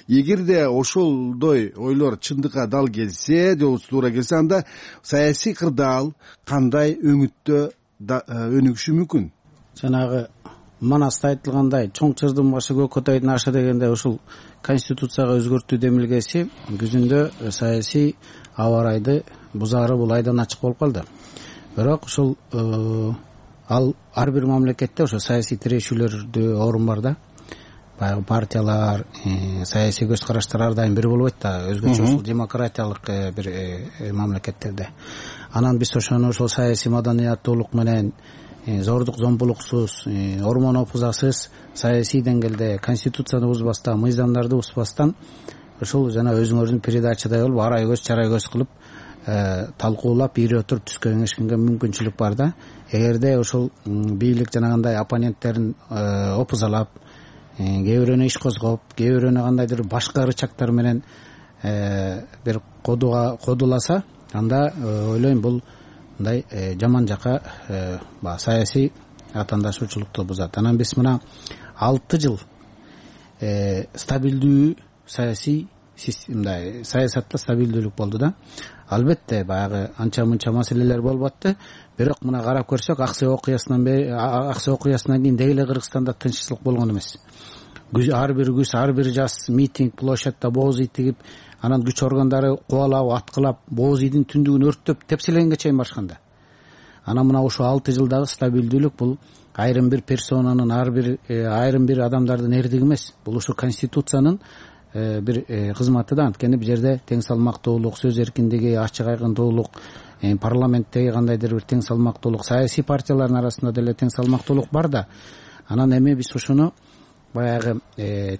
Эгерде ошолдой ойлор чындыкка дал келсе, же туура келсе, анда саясий кырдаал кандай өңүттө өнүгүшү мүмкүн? Жанагы Манаста айтылгандай, чоң чырдын башы көкөтөйдүн ашы дегенде ушул Конституцияга өзгөртүү демилгеси күзүндө саясий аба ырайды бузаары бул айдан ачык болуп калды. Бирок ушул ал ар бир мамлекетте ошо саясий тирешүүлөрдө орун бар да. Баягы партиялар, саясий көз караштар ар дайым бир болбойт да, өзгөчө ушул демократиялык бир мамлекеттерде. Анан биз ошону ошол саясий маданияттуулук менен зордук зомбулуксуз, ормон опузасыз саясий деңгээлде Конституцияны бузбастан, мыйзамдарды бузбастан ушул жана өзүңөрдүн передачадай болуп арай көз чарай көз кылып талкуулап, ийре отуруп түскө кеңешкенге мүмкүнчүлүк бар да. Эгерде ошол бийлик жанагындай оппоненттерин опузалап, кээ бирөөнү иш козгоп, кээ бирөөнү кандайдыр башка рычагтар менен бир кодуласа, анда ойлойм бул мындай жаман жака саясий атаандашуучулукту бузат. Анан биз мына 6 жыл стабилдүү саясий мындай саясатта стабилдүүлүк болду да. Албетте баягы анча мынча маселелер болуп атты. Бирок мына карап көрсөк, Аксай окуясынан кийин деги эле Кыргызстанда тынччылык болгон эмес. Ар бир күз, ар бир жаз митинг, площадьта бооз ий тигип, анан күч органдары кубалап, аткылап, бооз ийдин түндүгүн өрттөп, тепселегенге чейин барышканда. Анан мына ошо 6 жылдагы стабилдүүлүк бул айрым бир персонанын, айрым бир адамдардын эрдиги эмес. Бул ушу Конституциянын бир кызматы да. Анткени бул жерде тең салмактуулук, сөз эркиндиги, ачык айкындуулук, парламенттеги кандайдыр бир тең салмактуулук, саясий партиялардын арасында деле тең салмактуулук бар да. Анан эми биз ошону баягы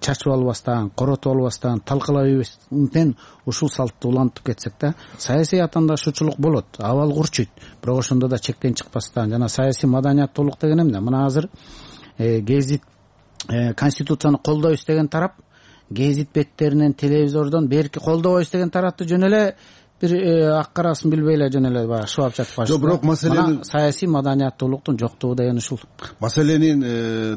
чачып албастан, коротуп албастан, талкалабастан ушул салтты улантып кетсек да, саясий атаандашуучулук болот, абал курчуйт. Бирок ошондо да чектен чыкпастан жана саясий маданияттуулук деген эмне? Мына азыр гезит Конституцияны колдойбуз деген тарап, гезит беттеринен, телевизордон берки колдобойбуз деген тарапты жөн эле бир ак карасын билбей эле жөн эле баягы шыбап жатып калышты. Бирок маселенин саясий маданияттуулуктун жоктугу деген ушул. Маселенин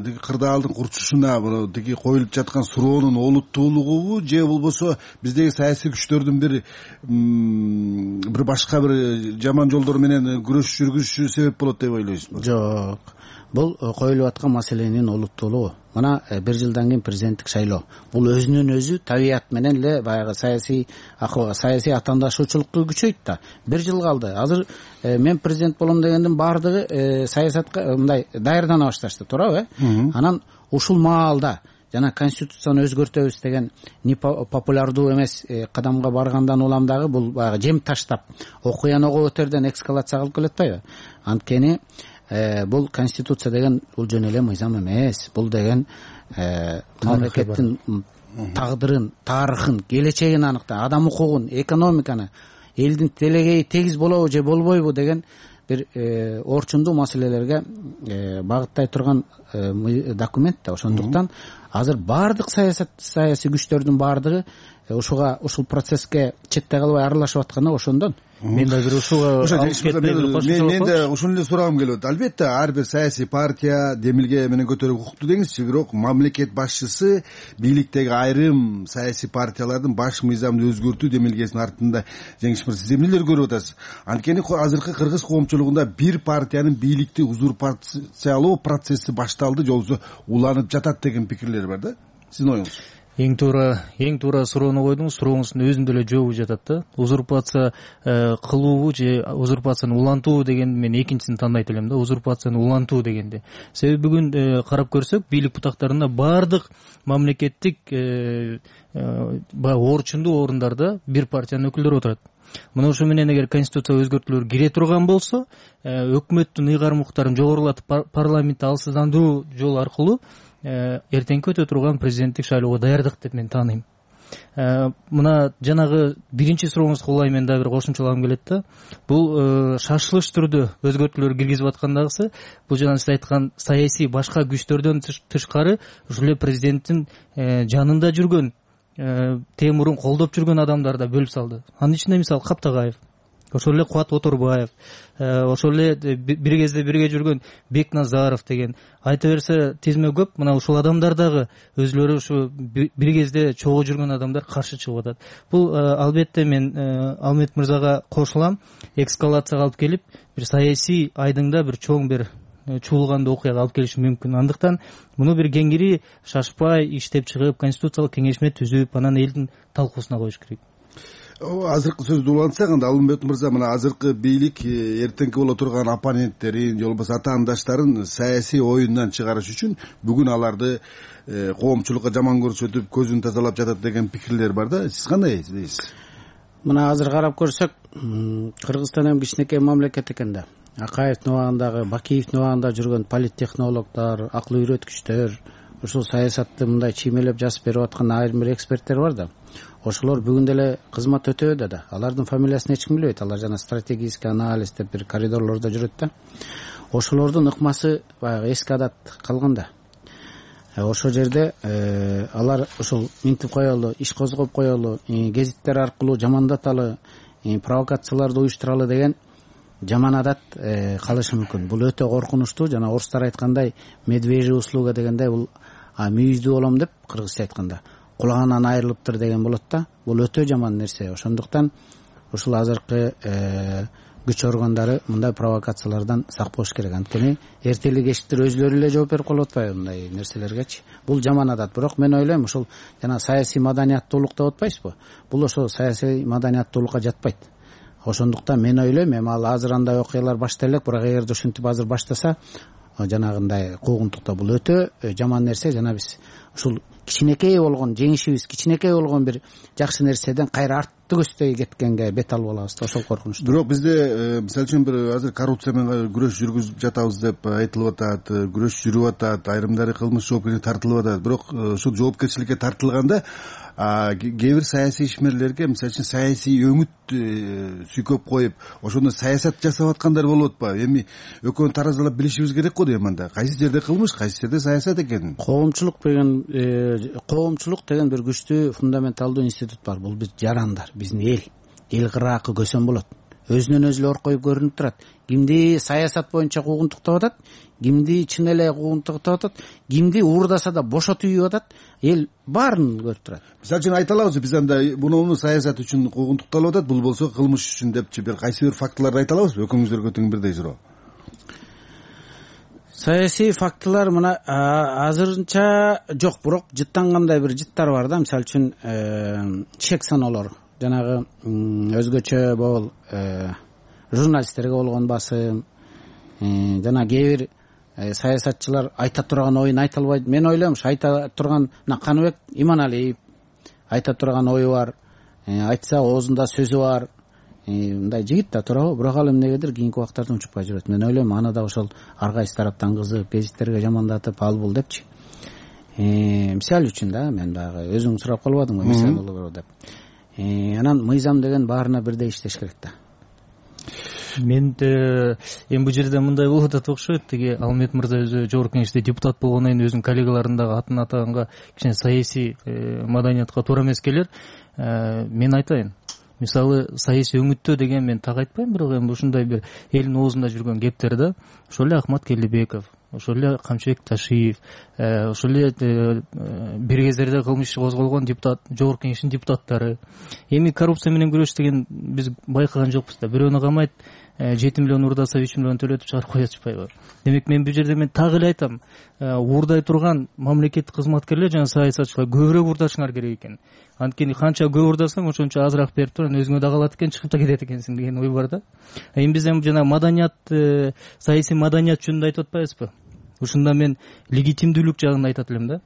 тиги кырдаалдын курчушуна, тиги коюлуп жаткан суроонун олуттуулугубу же болбосо биздеги саясий күчтөрдүн бир башка бир жаман жолдор менен күрөш жүргүзүшү себеп болот деп ойлойсузбу? Жок. Бул коюлуп аткан маселенин олуттуулугу. Мына 1 жылдан кийин президенттик шайлоо. Бул өзүнүн өзү табият менен эле баягы саясий атаандашуучулукту күчөйт да. 1 жыл калды. Азыр мен президент болом дегендин баардыгы саясатка мындай даярдана башташты, туурабы? Анан ушул маалда жана Конституцияны өзгөртөбүз деген популярдуу эмес кадамга баргандан улам дагы бул баягы жем таштап, окуяны ого өтөрдөн эскалация кылып келатпайбы? Анткени бул Конституция деген бул жөн эле мыйзам эмес. Бул деген мамлекеттин тагдырын, тарыхын, келечегин аныктайт, адам укугун, экономиканы, элдин делегейи тегиз болобу же болбойбу деген бир орчундуу маселелерге багыттай турган документ да. Ошондуктан азыр баардык саясий күчтөрдүн баардыгы ушул процесске четте калбай аралашып атканы ошондон. Мен да бир ушуга мен да ушуну эле сурагым келип атат. Албетте ар бир саясий партия демилге менен көтөрүүгө укуктуу деңизчи, бирок мамлекет башчысы бийликтеги айрым саясий партиялардын баш мыйзамды өзгөртүү демилгесинин артында жеңиш мырза сиз эмнелер көрүп атасыз? Анткени азыркы кыргыз коомчулугунда бир партиянын бийликти узурпациялоо процесси башталды, же болбосо уланып жатат деген пикирлер бар да. Сиздин оюңуз? Эң туура суроону койдуңуз. Сурооңуздун өзүндө эле жообу жатат да. Узурпация кылуу же узурпацияны улантуу деген мен экинчисин тандайт элем да. Узурпацияны улантуу дегенде. Себеби бүгүн карап көрсөк, бийлик бутактарында баардык мамлекеттик орчундуу орундарда бир партиянын өкүлдөрү отурат. Мына ошо менен эгер конституцияга өзгөртүүлөр кире турган болсо, өкмөттүн ыйгарым укуктарын жогорулатып парламентти алсыздандыруу жолу аркылуу эртеңки өтө турган президенттик шайлоого даярдык деп мен тааныйм. Мына жанагы биринчи сурооңузга улай мен дагы бир кошумчалагым келет да. Бул шашылыш түрдө өзгөртүүлөр киргизип аткандагысы, бул жана сиз айткан саясий башка күчтөрдөн тышкары ушул эле президенттин жанында жүргөн, темурун колдоп жүргөн адамдар да бөлүп салды. Анын ичинде мисалы Каптагаев, ошол эле Кубат Оторбаев, ошол эле бир кезде бирге жүргөн Бекназаров деген, айта берсе тизме көп. Мына ушул адамдар дагы өзлөрү ушу бир кезде чогуу жүргөн адамдар каршы чыгып атат. Бул албетте мен Алмет мырзага кошулам, эскалацияга алып келип, бир саясий айдыңда бир чоң бир чуулгандуу окуяга алып келиши мүмкүн. Андыктан муну бир кеңири шашпай иштеп чыгып, конституциялык кеңешме түзүп, анан элдин талкуусуна коюш керек. Азыркы сөздү улантсак, анда Алмет мырза, мына азыркы бийлик эртеңки боло турган оппоненттерин же болбосо атаандаштарын саясий оюндан чыгарыш үчүн бүгүн аларды коомчулукка жаман көрсөтүп, көзүн тазалап жатат деген пикирлер бар да. Сиз кандай дейсиз? Мына азыр карап көрсөк, Кыргызстан эми кичинекей мамлекет экен да. Акаевдин убагындагы, Бакиевдин убагында жүргөн политтехнологдор, акыл үйрөткүчтөр, ушул саясатты мындай чиймелеп жазып берип аткан айрым бир эксперттер бар да. Ошолор бүгүн деле кызмат өтөбөдө да. Алардын фамилиясын эч ким билбейт. Алар жана стратегический анализ деп бир коридорлордо жүрөт да. Ошолордун ыкмасы баягы эски адат калган да. Ошол жерде алар ушул минтип коелу, иш козгоп коелу, гезиттер аркылуу жамандаталы, провокацияларды уюштуралы деген жаман адат калышы мүмкүн. Бул өтө коркунучтуу. Жана орустар айткандай, медвежий услуга дегендей, бул мүйүздүү болом деп кыргызча айтканда кулагынан айрылыптыр деген болот да. Бул өтө жаман нерсе. Ошондуктан ушул азыркы күч органдары мындай провокациялардан сак болуш керек. Анткени эртели кечтир өзлөрү эле жооп берип калып атпайбы мындай нерселергечи. Бул жаман адат. Бирок мен ойлойм, ушул жана саясий маданияттуулук деп атпайсызбы? Бул ошо саясий маданияттуулукка жатпайт. Ошондуктан мен ойлойм, эми ал азыр андай окуялар баштала элек, бирок эгерде ушинтип азыр баштаса, жанагындай куугунтукта бул өтө жаман нерсе. Жана биз ушул кичинекей болгон жеңишибиз, кичинекей болгон бир жакшы нерседен кайра артты көздөй кеткенге бет алып алабыз да. Ошол коркунучтуу. Бирок бизде мисалы үчүн бир азыр коррупция менен күрөш жүргүзүп жатабыз деп айтылып атат, күрөш жүрүп атат, айрымдары кылмыш жоопкерчиликке тартылып атат. Бирок ушул жоопкерчиликке тартылганда кээ бир саясий ишмерлерге мисалы үчүн саясий өңүт сүйкөп коюп, ошондо саясат жасап аткандар болуп атпайбы? Эми экөөнү таразалап билишибиз керек го дейм анда. Кайсы жерде кылмыш, кайсы жерде саясат экенин. Коомчулук деген бир күчтүү фундаменталдуу институт бар. Бул биз жарандар, биздин эл кыраакы көсөм болот. Өзүнөн өзү оркоюп көрүнүп турат. Кимди саясат боюнча куугунтуктап атат, кимди чын эле куугунтуктап атат, кимди уурдаса да бошотуп үйүп атат, эл баарын көрүп турат. Мисалы үчүн айта алабызбы, биз анда муну саясат үчүн куугунтукталып атат, бул болсо кылмыш үчүн депчи бир кайсы бир фактыларды айта алабызбы? Экөөңүздөргө тең бирдей суроо. Саясий фактылар мына азырынча жок, бирок жыттангандай бир жыттар бар да. Мисалы үчүн чек саноолор, жанагы өзгөчө могул журналисттерге болгон басым, жана кээ бир саясатчылар айта турган оюн айта албайт. Мен ойлойм, айта турган Каныбек Иманалиев айта турган ою бар, айтса оозунда сөзү бар, мындай жигит да туурабы? Бирок ал эмнегедир кийинки убактарда унчукпай жүрөт. Мен ойлойм, аны да ошол ар кайсы тараптан кызып, гезиттерге жамандатып, ал бул депчи. Мисал үчүн да, мен дагы өзүң сурап калбадыңбы мисал болобу деп. Анан мыйзам деген баарына бирдей иштеш керек да. мен эми бул жерде мындай болуп атат окшойт. Тиги Алмет мырза өзү жогорку кеңеште депутат болгондон кийин өзүнүн коллегаларын дагы атын атаганга кичине саясий маданиятка туура эмес келер. Мен айтайын, мисалы саясий өңүттөө деген мен так айтпайм, бирок эми ушундай бир элдин оозунда жүргөн кептер да. Ошол эле Акмат Келдибеков, ошол эле Камчыбек Ташиев, ошол эле бир кездерде кылмыш иши козголгон депутат, жогорку кеңештин депутаттары. Эми коррупция менен күрөш деген биз байкаган жокпуз да. Бирөөнү камайт 7 миллион уурдаса 3 миллион төлөтүп чыгарып коюп атышпайбы? Демек мен бул жерде так эле айтам, уурдай турган мамлекеттик кызматкерлер жана саясатчылар көбүрөөк уурдашыңар керек экен. Анткени канча көп уурдасаң, ошончо азыраак берип туруп өзүңө да калат экен, чыгып да кетет экенсиң деген ой бар да. Эми биз жана маданият, саясий маданият жөнүндө айтып атпайбызбы? Ушунда мен легитимдүүлүк жагын айтат элем да.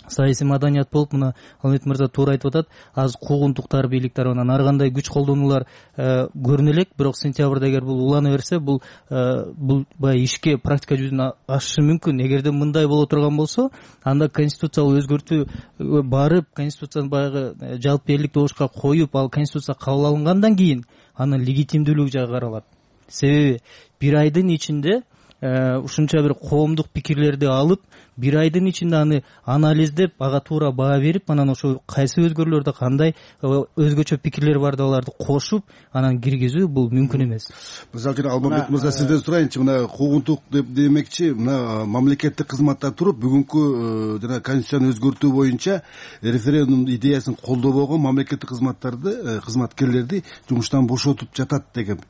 Саясий маданият болуп, мына Алмет мырза туура айтып атат, азыр куугунтуктар, бийлик тарабынан ар кандай күч колдонуулар көрүнө элек, бирок сентябрда эгер бул улана берсе, бул баягы ишке практика жүзүнө ашышы мүмкүн. Эгерде мындай боло турган болсо, анда конституциялык өзгөртүү барып, конституцияны баягы жалпы элдик добушка коюп, ал конституция кабыл алынгандан кийин анын легитимдүүлүгү жагы каралат. Себеби бир айдын ичинде ушунча бир коомдук пикирлерди алып, бир айдын ичинде аны анализдеп, ага туура баа берип, анан ошо кайсы өзгөрүүлөрдө кандай өзгөчө пикирлер бар да аларды кошуп, анан киргизүү бул мүмкүн эмес. Мисалы үчүн Алмамбет мырза, сизден сурайынчы, мына куугунтук деп демекчи, мына мамлекеттик кызматта туруп, бүгүнкү жана конституцияны өзгөртүү боюнча референдум идеясын колдобогон мамлекеттик кызматкерлерди жумуштан бошотуп жатат деген.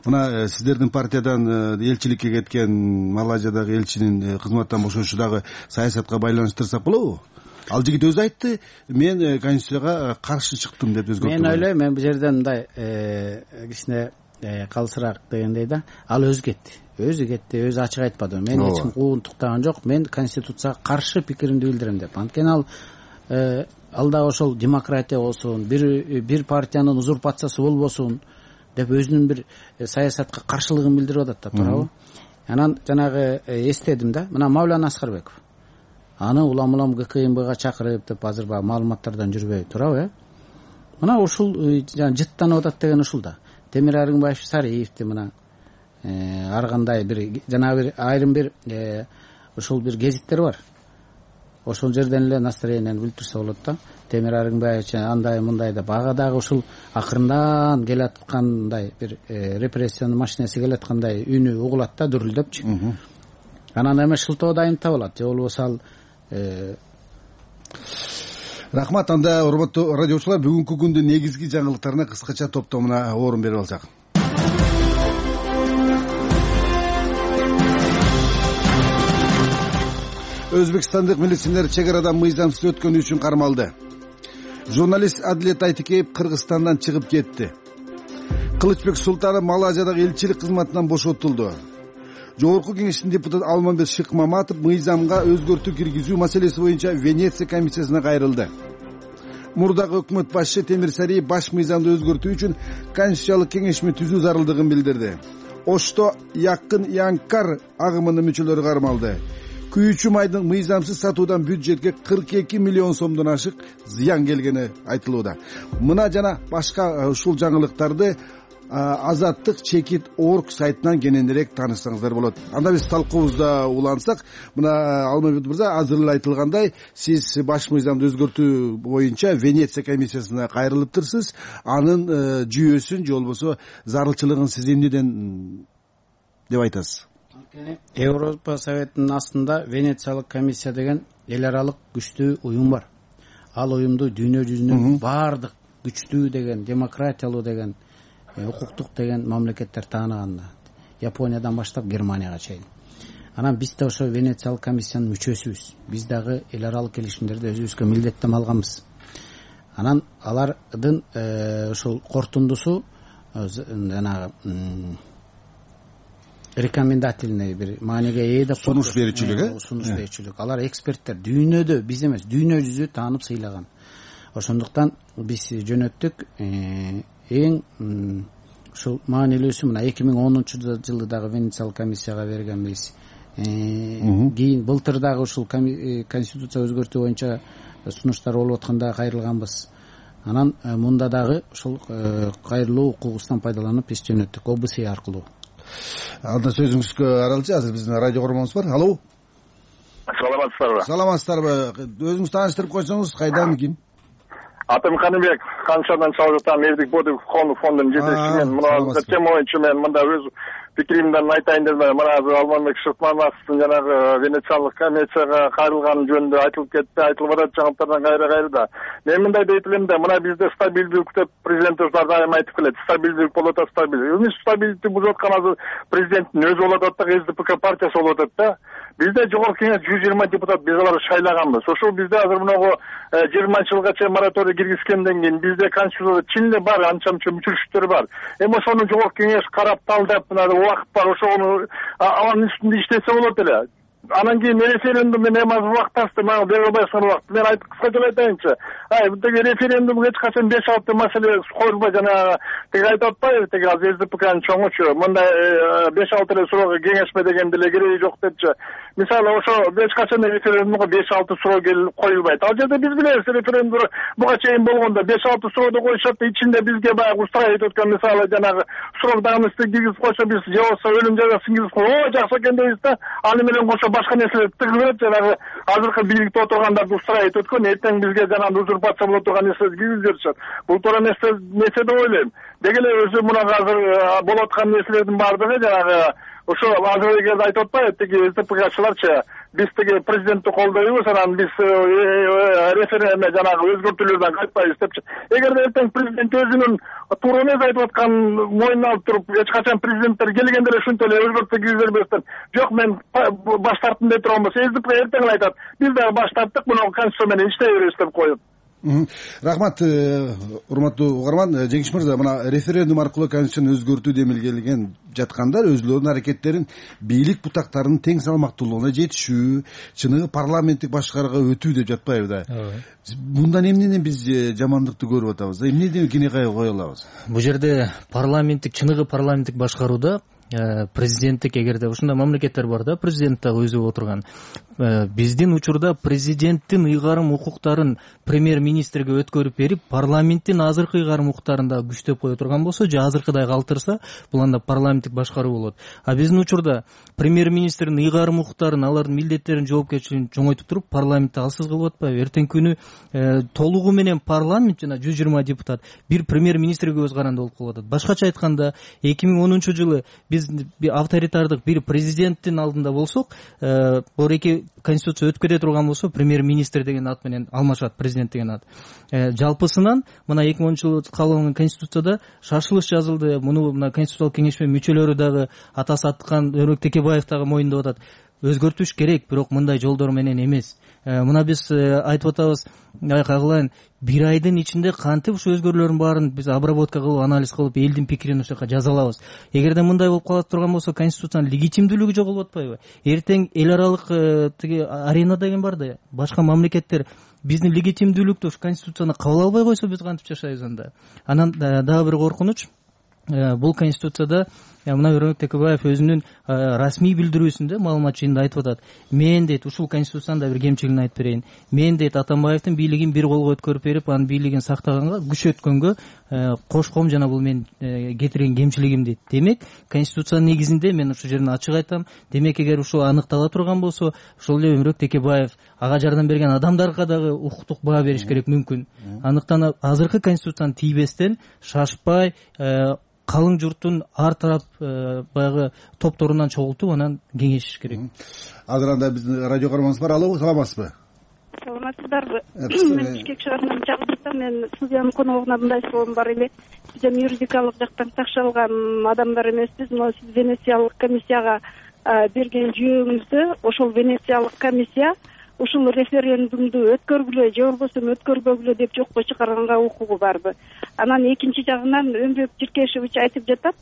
Мына сиздердин партиядан элчиликке кеткен Малайзиядагы элчинин кызматтан бошошу дагы саясатка байланыштырсак болобу? Ал жигит өзү айтты, мен конституцияга каршы чыктым деп өзгөртүп. Мен ойлойм, мен бул жерден мындай кичине калсыраак дегендей да, ал өзү кетти, өзү ачык айтпады. Мен эч ким куугунтуктаган жок, мен конституцияга каршы пикиримди билдирем деп. Анткени ал да ошол демократия болсун, бир партиянын узурпациясы болбосун деп өзүнүн бир саясатка каршылыгын билдирип атат да, туурабы? Анан жанагы эстедим да, мына Мавлан Аскарбеков. Аны улам ГКМБга чакырып деп азыр баягы маалыматтардан жүрбөй, туурабы? Мына ушул жана жыттанып атат деген ушул да. Темир Аргынбаев Сариевди мына ар кандай бир жана бир айрым бир ушул бир гезиттер бар. Ошол жерден эле настроениени билдирсе болот да. Темир Аргынбаев андай мындай деп, ага дагы ушул акырындан келаткандай бир репрессиянын машинеси келаткандай үнү угулат да, дүрүлдөпчү. Анан эме шылтоо дайым табылат, же болбосо ал рахмат. Анда урматтуу радиочулар, бүгүнкү күндүн негизги жаңылыктарына кыскача топтомуна орун берип алсак. Өзбекстандык милиционер чек арадан мыйзамсыз өткөнү үчүн кармалды. Журналист Адилет Айтикеев Кыргызстандан чыгып кетти. Кылычбек Султанов Малайзиядагы элчилик кызматынан бошотулду. Жогорку кеңештин депутаты Алмамбет Шыкмаматов мыйзамга өзгөртүү киргизүү маселеси боюнча Венеция комиссиясына кайрылды. Мурдагы өкмөт башчы Темир Сариев баш мыйзамды өзгөртүү үчүн конституциялык кеңешме түзүү зарылдыгын билдирди. Ошто Якын Янкар агымынын мүчөлөрү кармалды. Күйүүчү майдын мыйзамсыз сатуудан бюджетке 42 миллион сомдон ашык зыян келгени айтылууда. Мына жана башка ушул жаңылыктарды Азаттык Чекит.org сайтынан кененирээк таанышсаңыздар болот. Анда биз талкуубузда улансак, мына Алмамбет мырза, азыр эле айтылгандай, сиз баш мыйзамды өзгөртүү боюнча Венеция комиссиясына кайрылыптырсыз. Анын жүйөсүн же болбосо зарылчылыгын сиз эмнеден деп айтасыз? Европа Советинин астында Венециялык комиссия деген эл аралык күчтүү уюм бар. Ал уюмду дүйнө жүзүнүн баардык күчтүү деген, демократиялуу деген, укуктук деген мамлекеттер таанаган. Япониядан баштап Германияга чейин. Анан биз да ошо Венециялык комиссиянын мүчөсүбүз. Биз дагы эл аралык келишимдерди өзүбүзгө милдеттенме алганбыз. Анан алардын ошол корутундусу жанагы рекомендательный бир мааниге ээ деп сунуш берүүчүлүк. Алар эксперттер, дүйнөдө, биз эмес, дүйнө жүзү таанып сыйлаган. Ошондуктан биз жөнөттүк эң ушул маанилүүсү мына 2010 дагы Венециялык комиссияга бергенбиз. Кийин былтыр дагы ушул конституция өзгөртүү боюнча сунуштар болуп атканда кайрылганбыз. анан мында дагы ушул кайрылуу укугубуздан пайдаланып иш жөнөттүк ОБС аркылуу. Анда сөзүңүзгө аралчы азыр биздин радио көрөрмөнүбүз бар. Алло. Саламатсыздарбы? Саламатсыздарбы? Өзүңүз тааныштырып койсоңуз, кайдан, ким? Атым Каныбек, Каншадан чалып жатам, Эрдик Бодик фондунун жетекчисимин. Мына тема боюнча мен мында өз пикиримден айтайын дедим. Мына азыр Алмамбек Шыкмаматовдун жанагы Венециялык комиссияга кайрылган жөнүндө айтылып кетти, айтылып атат жаңылыктардан кайра да. Мен мындай дейт элем да, мына бизде стабилдүүлүк деп президентибиз дайым айтып келет. Стабилдүүлүк болуп атат, стабилдүүлүк. Эмне стабилдүүлүктү бузуп аткан азыр президенттин өзү болуп атат да, СДПК партиясы болуп атат да. Бизде жогорку кеңеш 120 депутат биз аларды шайлаганбыз. Ошол бизде азыр мынагу 20 жылга чейин мораторий киргизгенден кийин бизде конституцияда чын эле бар, анча-мынча мүчүлүштөр бар. Эми ошону жогорку кеңеш карап талдап, мына убакыт бар, ошону анын үстүндө иштесе болот эле. Анан кийин референдум менен эми азыр убакыт тасты, мага бере албайсыңар убакыт. Мен кыскача айтайынчы. Бутеги референдумга эч качан 5-6 маселе коюлбай, жана тиги айтып атпайбы, тиги азыр СДПКнын чоңучу, мындай 5-6 эле суроого кеңешме деген деле кереги жок депчи. Мисалы ошо эч качан референдумга 5-6 суроо коюлбайт. Ал жерде биз билебиз, референдум буга чейин болгондо 5-6 сурооду коюшат, ичинде бизге баягы устраивать өткөн, мисалы жанагы срок давностьты киргизип койсо, биз же болбосо өлүм жазасын киргизип койсо, жакшы экен дейбиз да. Аны менен кошо башка нерселер тыгылып, жанагы азыркы бийликте отургандарды устраивать өткөн, эртең бизге жанагы узурпация боло турган нерселерди киргизип жиберишет. Бул туура нерсе деп ойлойм. Деги эле өзү мына азыр болуп аткан нерселердин баардыгы жанагы ошо азыр эгерде айтып атпайбы, тиги СДПКчыларчы, биз тиги президентти колдойбуз, анан биз референдум жанагы өзгөртүүлөрдөн кайтпайбыз депчи. Эгерде эртең президент өзүнүн туура эмес айтып аткан мойнуна алып туруп, эч качан президенттер келгенде эле ушинтип эле өзгөртүү киргизе бербестен, жок мен баш тарттым деп турган болсо, СДПК эртең эле айтат, биз дагы баш тарттык, мына конституция менен иштей беребиз деп коет. Рахмат, урматтуу угарман. Жеңиш мырза, мына референдум аркылуу конституцияны өзгөртүү демилгелеген жаткандар өзүлөрүнүн аракеттерин бийлик бутактарынын тең салмактуулугуна жетишүү, чыныгы парламенттик башкарууга өтүү деп жатпайбы да? Мындан эмнеден биз жамандыкты көрүп атабыз? Эмнеден кенекай кое алабыз? Бул жерде чыныгы парламенттик башкарууда президенттик, эгерде ушундай мамлекеттер бар да, президент дагы өзү отурган. Биздин учурда президенттин ыйгарым укуктарын премьер-министрге өткөрүп берип, парламенттин азыркы ыйгарым укуктарын да күчтөп кое турган болсо, же азыркыдай калтырса, бул анда парламенттик башкаруу болот. А биздин учурда премьер-министрдин ыйгарым укуктарын, алардын милдеттерин, жоопкерчилигин чоңойтуп туруп, парламентти алсыз кылып атпайбы? Эртең күнү толугу менен парламент жана 120 депутат бир премьер-министрге көз каранды болуп калып атат. Башкача айтканда, 2010 жылы биз авторитардык бир президенттин алдында болсок, эки конституция өтүп кете турган болсо, премьер-министр деген ат менен алмашат, президент деген ат. Жалпысынан мына 2010 жылы кабыл алынган конституцияда шашылыш жазылды. Муну мына конституциялык кеңешме мүчөлөрү дагы, атасы Аткан Өрөк Текебаев дагы моюндап атат. Өзгөртүш керек, бирок мындай жолдор менен эмес. Мына биз айтып атабыз, кайгылайын, бир айдын ичинде кантип ушу өзгөрүүлөрдүн баарын биз обработка кылып, анализ кылып, элдин пикирин ошол жака жаза алабыз. Эгерде мындай болуп кала турган болсо, конституциянын легитимдүүлүгү жоголуп атпайбы? Эртең эл аралык тиги арена деген бар да, башка мамлекеттер биздин легитимдүүлүктү ушу конституцияны кабыл албай койсо, биз кантип жашайбыз анда? Анан дагы бир коркунуч, бул конституцияда мына Өрөк Текебаев өзүнүн расмий билдирүүсүндө маалымат жыйынында айтып атат. Мен дейт, ушул конституциянын да бир кемчилигин айтып берейин. Мен дейт, Атамбаевдин бийлигин бир колго өткөрүп берип, анын бийлигин сактаганга, күчөткөнгө кошком, жана бул мен кетирген кемчилигим дейт. Демек, конституциянын негизинде мен ушул жерин ачык айтам. Демек, эгер ушул аныктала турган болсо, ошол эле Өрөк Текебаев ага жардам берген адамдарга дагы укуктук баа бериш керек мүмкүн. Андыктан азыркы конституцияны тийбестен, шашпай, калың журттун ар тарап баягы топторунан чогултуп, анан кеңешиш керек. Азыр анда биздин радио көрөрмөнүбүз бар. Алло, саламатсызбы? Саламатсыздарбы? Мен Бишкек шаарынан чагып атам. Мен студиянын коногуна мындай суроом бар эле. Биз эми юридикалык жактан такшалган адамдар эмеспиз. Но сиз Венециялык комиссияга берген жүйөңүздө ошол Венециялык комиссия ушул референдумду өткөргүлө же болбосо өткөрбөгүлө деп жокко чыгарганга укугу барбы? Анан экинчи жагынан Өмбек Жиркешевич айтып жатат,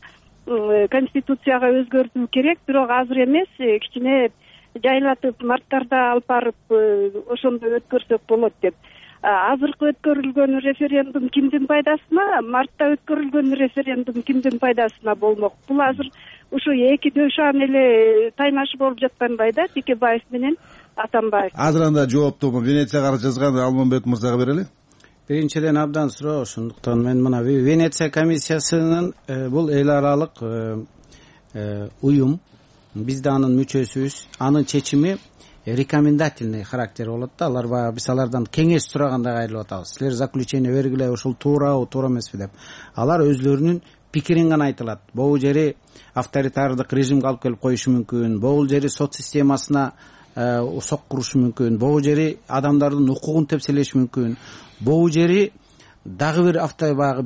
конституцияга өзгөртүү керек, бирок азыр эмес, кичине жайлатып, марттарда алып барып ошондо өткөрсөк болот деп. Азыркы өткөрүлгөн референдум кимдин пайдасына, мартта өткөрүлгөн референдум кимдин пайдасына болмок? Бул азыр ушу эки дөшан эле тайнашып болуп жаткандай да, Текебаев менен Атамбаев. Азыр анда жоопту Венецияга жазган Алмамбет мырзага берели. биринчиден абдан суроо, ошондуктан мен мына Венеция комиссиясынын бул эл аралык уюм, биз да анын мүчөсүбүз. Анын чечими рекомендательный характер болот да. Алар баягы биз алардан кеңеш сурагандай кайрылып атабыз. Силер заключение бергиле, ушул туурабы, туура эмеспи деп. Алар өзлөрүнүн пикирин гана айтылат. Бул жери авторитардык режимге алып келип коюшу мүмкүн, бул жери сот системасына сок курушу мүмкүн, бул жери адамдардын укугун тепселеши мүмкүн, бул жери дагы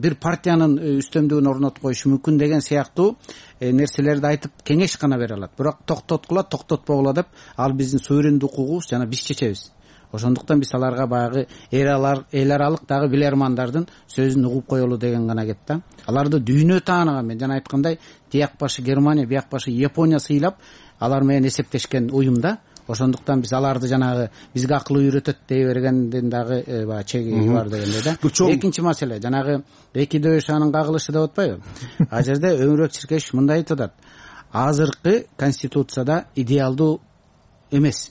бир партиянын үстөмдүгүн орнотуп коюшу мүмкүн деген сыяктуу нерселерди айтып кеңеш гана бере алат. Бирок токтоткула, токтотпогула деп ал биздин суверендүү укугубуз жана биз чечебиз. Ошондуктан биз аларга баягы эл аралык дагы билермандардын сөзүн угуп коелу деген гана кет да. Аларды дүйнө тааныган, мен жана айткандай, тияк башы Германия, бияк башы Япония сыйлап алар менен эсептешкен уюм да. Ошондуктан биз аларды жанагы бизге акыл үйрөтөт дей бергенден дагы баягы чеги бар дегендей да. Экинчи маселе, жанагы экиде өш анын кагылышы деп атпайбы? А жерде Өмүрбек Чиркешев мындай айтып атат: азыркы конституцияда идеалдуу эмес.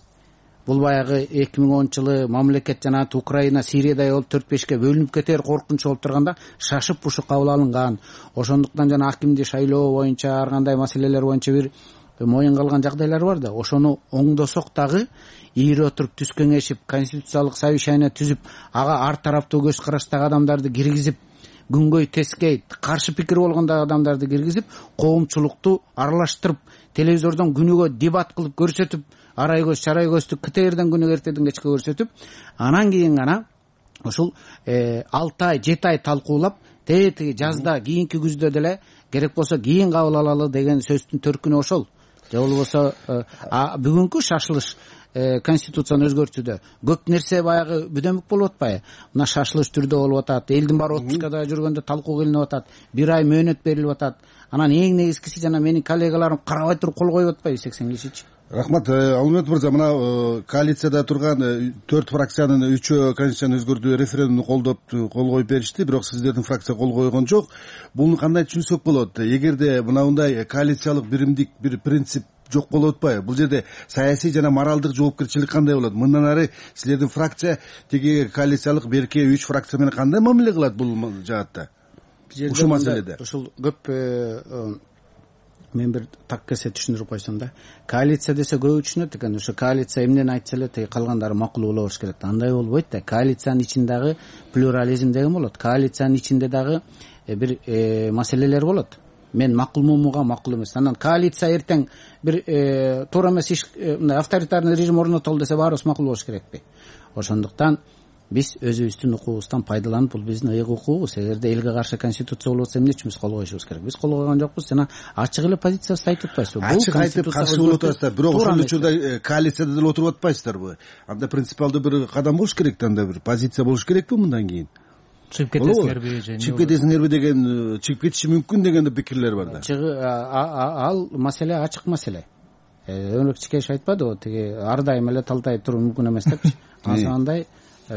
Бул баягы 2010-жылы мамлекет жана Украина, Сириядай болуп 4-5ке бөлүнүп кетер коркунучу болуп турганда шашып ушу кабыл алынган. Ошондуктан жана акимди шайлоо боюнча ар кандай маселелер боюнча бир моюнга алган жагдайлар бар да. Ошону оңдосок дагы ийире отуруп түз кеңешип, конституциялык совещание түзүп, ага ар тараптуу көз караштагы адамдарды киргизип, күнгөй тескей каршы пикир болгондагы адамдарды киргизип, коомчулукту аралаштырып, телевизордон күнүгө дебат кылып көрсөтүп, арай көз чарай көздү КТРден күнүгө эртеден кечке көрсөтүп, анан кийин гана ушул 6 ай 7 ай талкуулап, тетиги жазда, кийинки күздө деле керек болсо кийин кабыл алалы деген сөздүн төркүнү ошол. Же болбосо бүгүнкү шашылыш конституцияны өзгөртүүдө көп нерсе баягы бүдөмүк болуп атпайбы? Мына шашылыш түрдө болуп атат, элдин баары отпускада жүргөндө талкуу кылынып атат, 1 ай мөөнөт берилип атат. Анан эң негизгиси жана менин коллегаларым карабай туруп кол коюп атпайбы 80 кишичи? Рахмат. Алмамет мырза, мына коалицияда турган 4 фракциянын 3-өө конституцияны өзгөртүү референдумду кол коюп беришти, бирок сиздердин фракция кол койгон жок. Буну кандай түшүнсөк болот? Эгерде мындай коалициялык биримдик бир принцип жок болуп атпайбы? Бул жерде саясий жана моралдык жоопкерчилик кандай болот? Мындан ары силердин фракция тиги коалициялык берки 3 фракция менен кандай мамиле кылат бул жаатта? Ушул маселеде. Ушул көп мен бир так кесе түшүндүрүп койсом да. Коалиция десе көп түшүнөт экен. Ошо коалиция эмнени айтса эле тиги калгандары макул боло бериш керек. Андай болбойт да. Коалициянын ичиндеги плюрализм деген болот. Коалициянын ичинде дагы бир маселелер болот. Мен макулмунга макул эмес. Анан коалиция эртең бир туура эмес иш, мындай авторитарный режим орнотолду десе баарыбыз макул болуш керекпи? Ошондуктан биз өзүбүздүн укугубуздан пайдаланып, бул биздин ыйык укугубуз. Эгерде элге каршы конституция болсо эмне үчүн биз кол коюшубуз керек? Биз кол койгон жокпуз. Жана ачык эле позициябызды айтып атпайбызбы? Ачык айтып каршы болуп атасыздар, бирок ошол учурда коалицияда деле отуруп атпайсыздарбы? Анда принципиалдуу бир кадам болуш керек да, анда бир позиция болуш керекпи мындан кийин? Чыгып кетесиңерби же? Чыгып кетесиңерби деген, чыгып кетиши мүмкүн деген пикирлер бар да. Ал маселе ачык маселе. Өмүрбек Чиркешев айтпадыбы, тиги ар дайым эле талтай туруу мүмкүн эмес депчи. Андай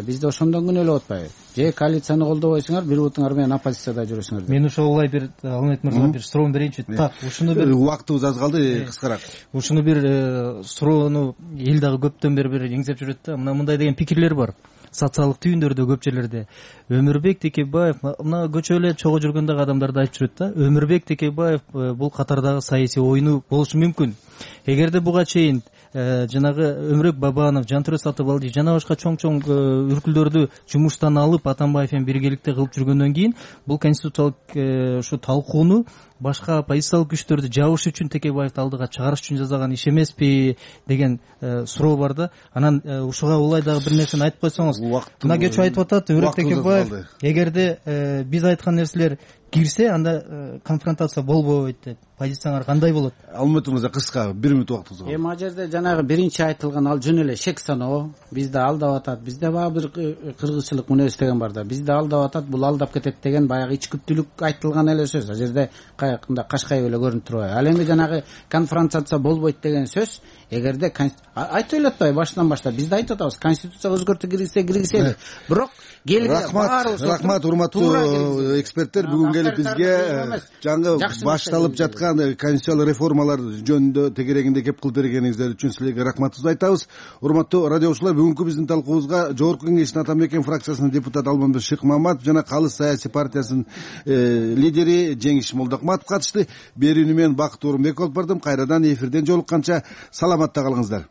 биз да ошондон күнөөлөп атпайбы? Же коалицияны колдобойсуңар, бир бутуңар менен оппозицияда жүрөсүңөр. Мен ошолай бир Алмамет мырза бир суроо берейинчи. Так, ушуну бир убактыбыз аз калды, кыскараак. Ушуну бир суроону эл дагы көптөн бери бир эңзеп жүрөт да. Мындай деген пикирлер бар. Социалдык түйүндөрдө көп жерлерде Өмүрбек Текебаев мына көчө эле чогуу жүргөндөгү адамдарды айтып жүрөт да. Өмүрбек Текебаев бул катардагы саясий оюну болушу мүмкүн. Эгерде буга чейин жанагы Өмүрбек Бабанов, Жантүрө Сатыбалдиев жана башка чоң үркүлдөрдү жумуштан алып Атамбаев менен биргеликте кылып жүргөндөн кийин бул конституциялык ушу талкууну башка оппозициялык күчтөрдү жабыш үчүн Текебаевди алдыга чыгарыш үчүн жасаган иш эмеспи деген суроо бар да. Анан ушуга улай дагы бир нерсени айтып койсоңуз. Мына кечээ айтып атат Өмүрбек Текебаев, эгерде биз айткан нерселер кирсе, анда конфронтация болбойт деп. Позицияңар кандай болот? Алмамет мырза, кыска 1 мүнөт убактыңыз бар. Эми ал жерде жанагы биринчи айтылган ал жөн эле шек саноо, бизди алдап атат, бизде баягы бир кыргызчылык мүнөз деген бар да. Бизди алдап атат, бул алдап кетет деген баягы ичкүптүүлүк айтылган эле сөз. Ал жерде баягындай кашкайып эле көрүнүп турбайбы? Ал эми жанагы конфронтация болбойт деген сөз эгерде айтып эле атпайбы башынан баштап бизде айтып атабыз, конституцияга өзгөртүү киргизели. Бирок рахмат урматтуу эксперттер, бүгүн келип бизге жаңы башталып жаткан конституциялык реформалар жөнүндө тегерегинде кеп кылып бергениңиздер үчүн силерге рахматыбызды айтабыз. Урматтуу радиочулар, бүгүнкү биздин талкуубузга Жогорку Кеңештин Ата Мекен фракциясынын депутаты Алмамбет Шыкмаматов жана Калыс саясий партиясынын лидери Жеңиш Молдокматов катышты. Берүүнү мен Бакыт Орунбеков алып бардым. Кайрадан эфирден жолукканча саламатта калыңыздар.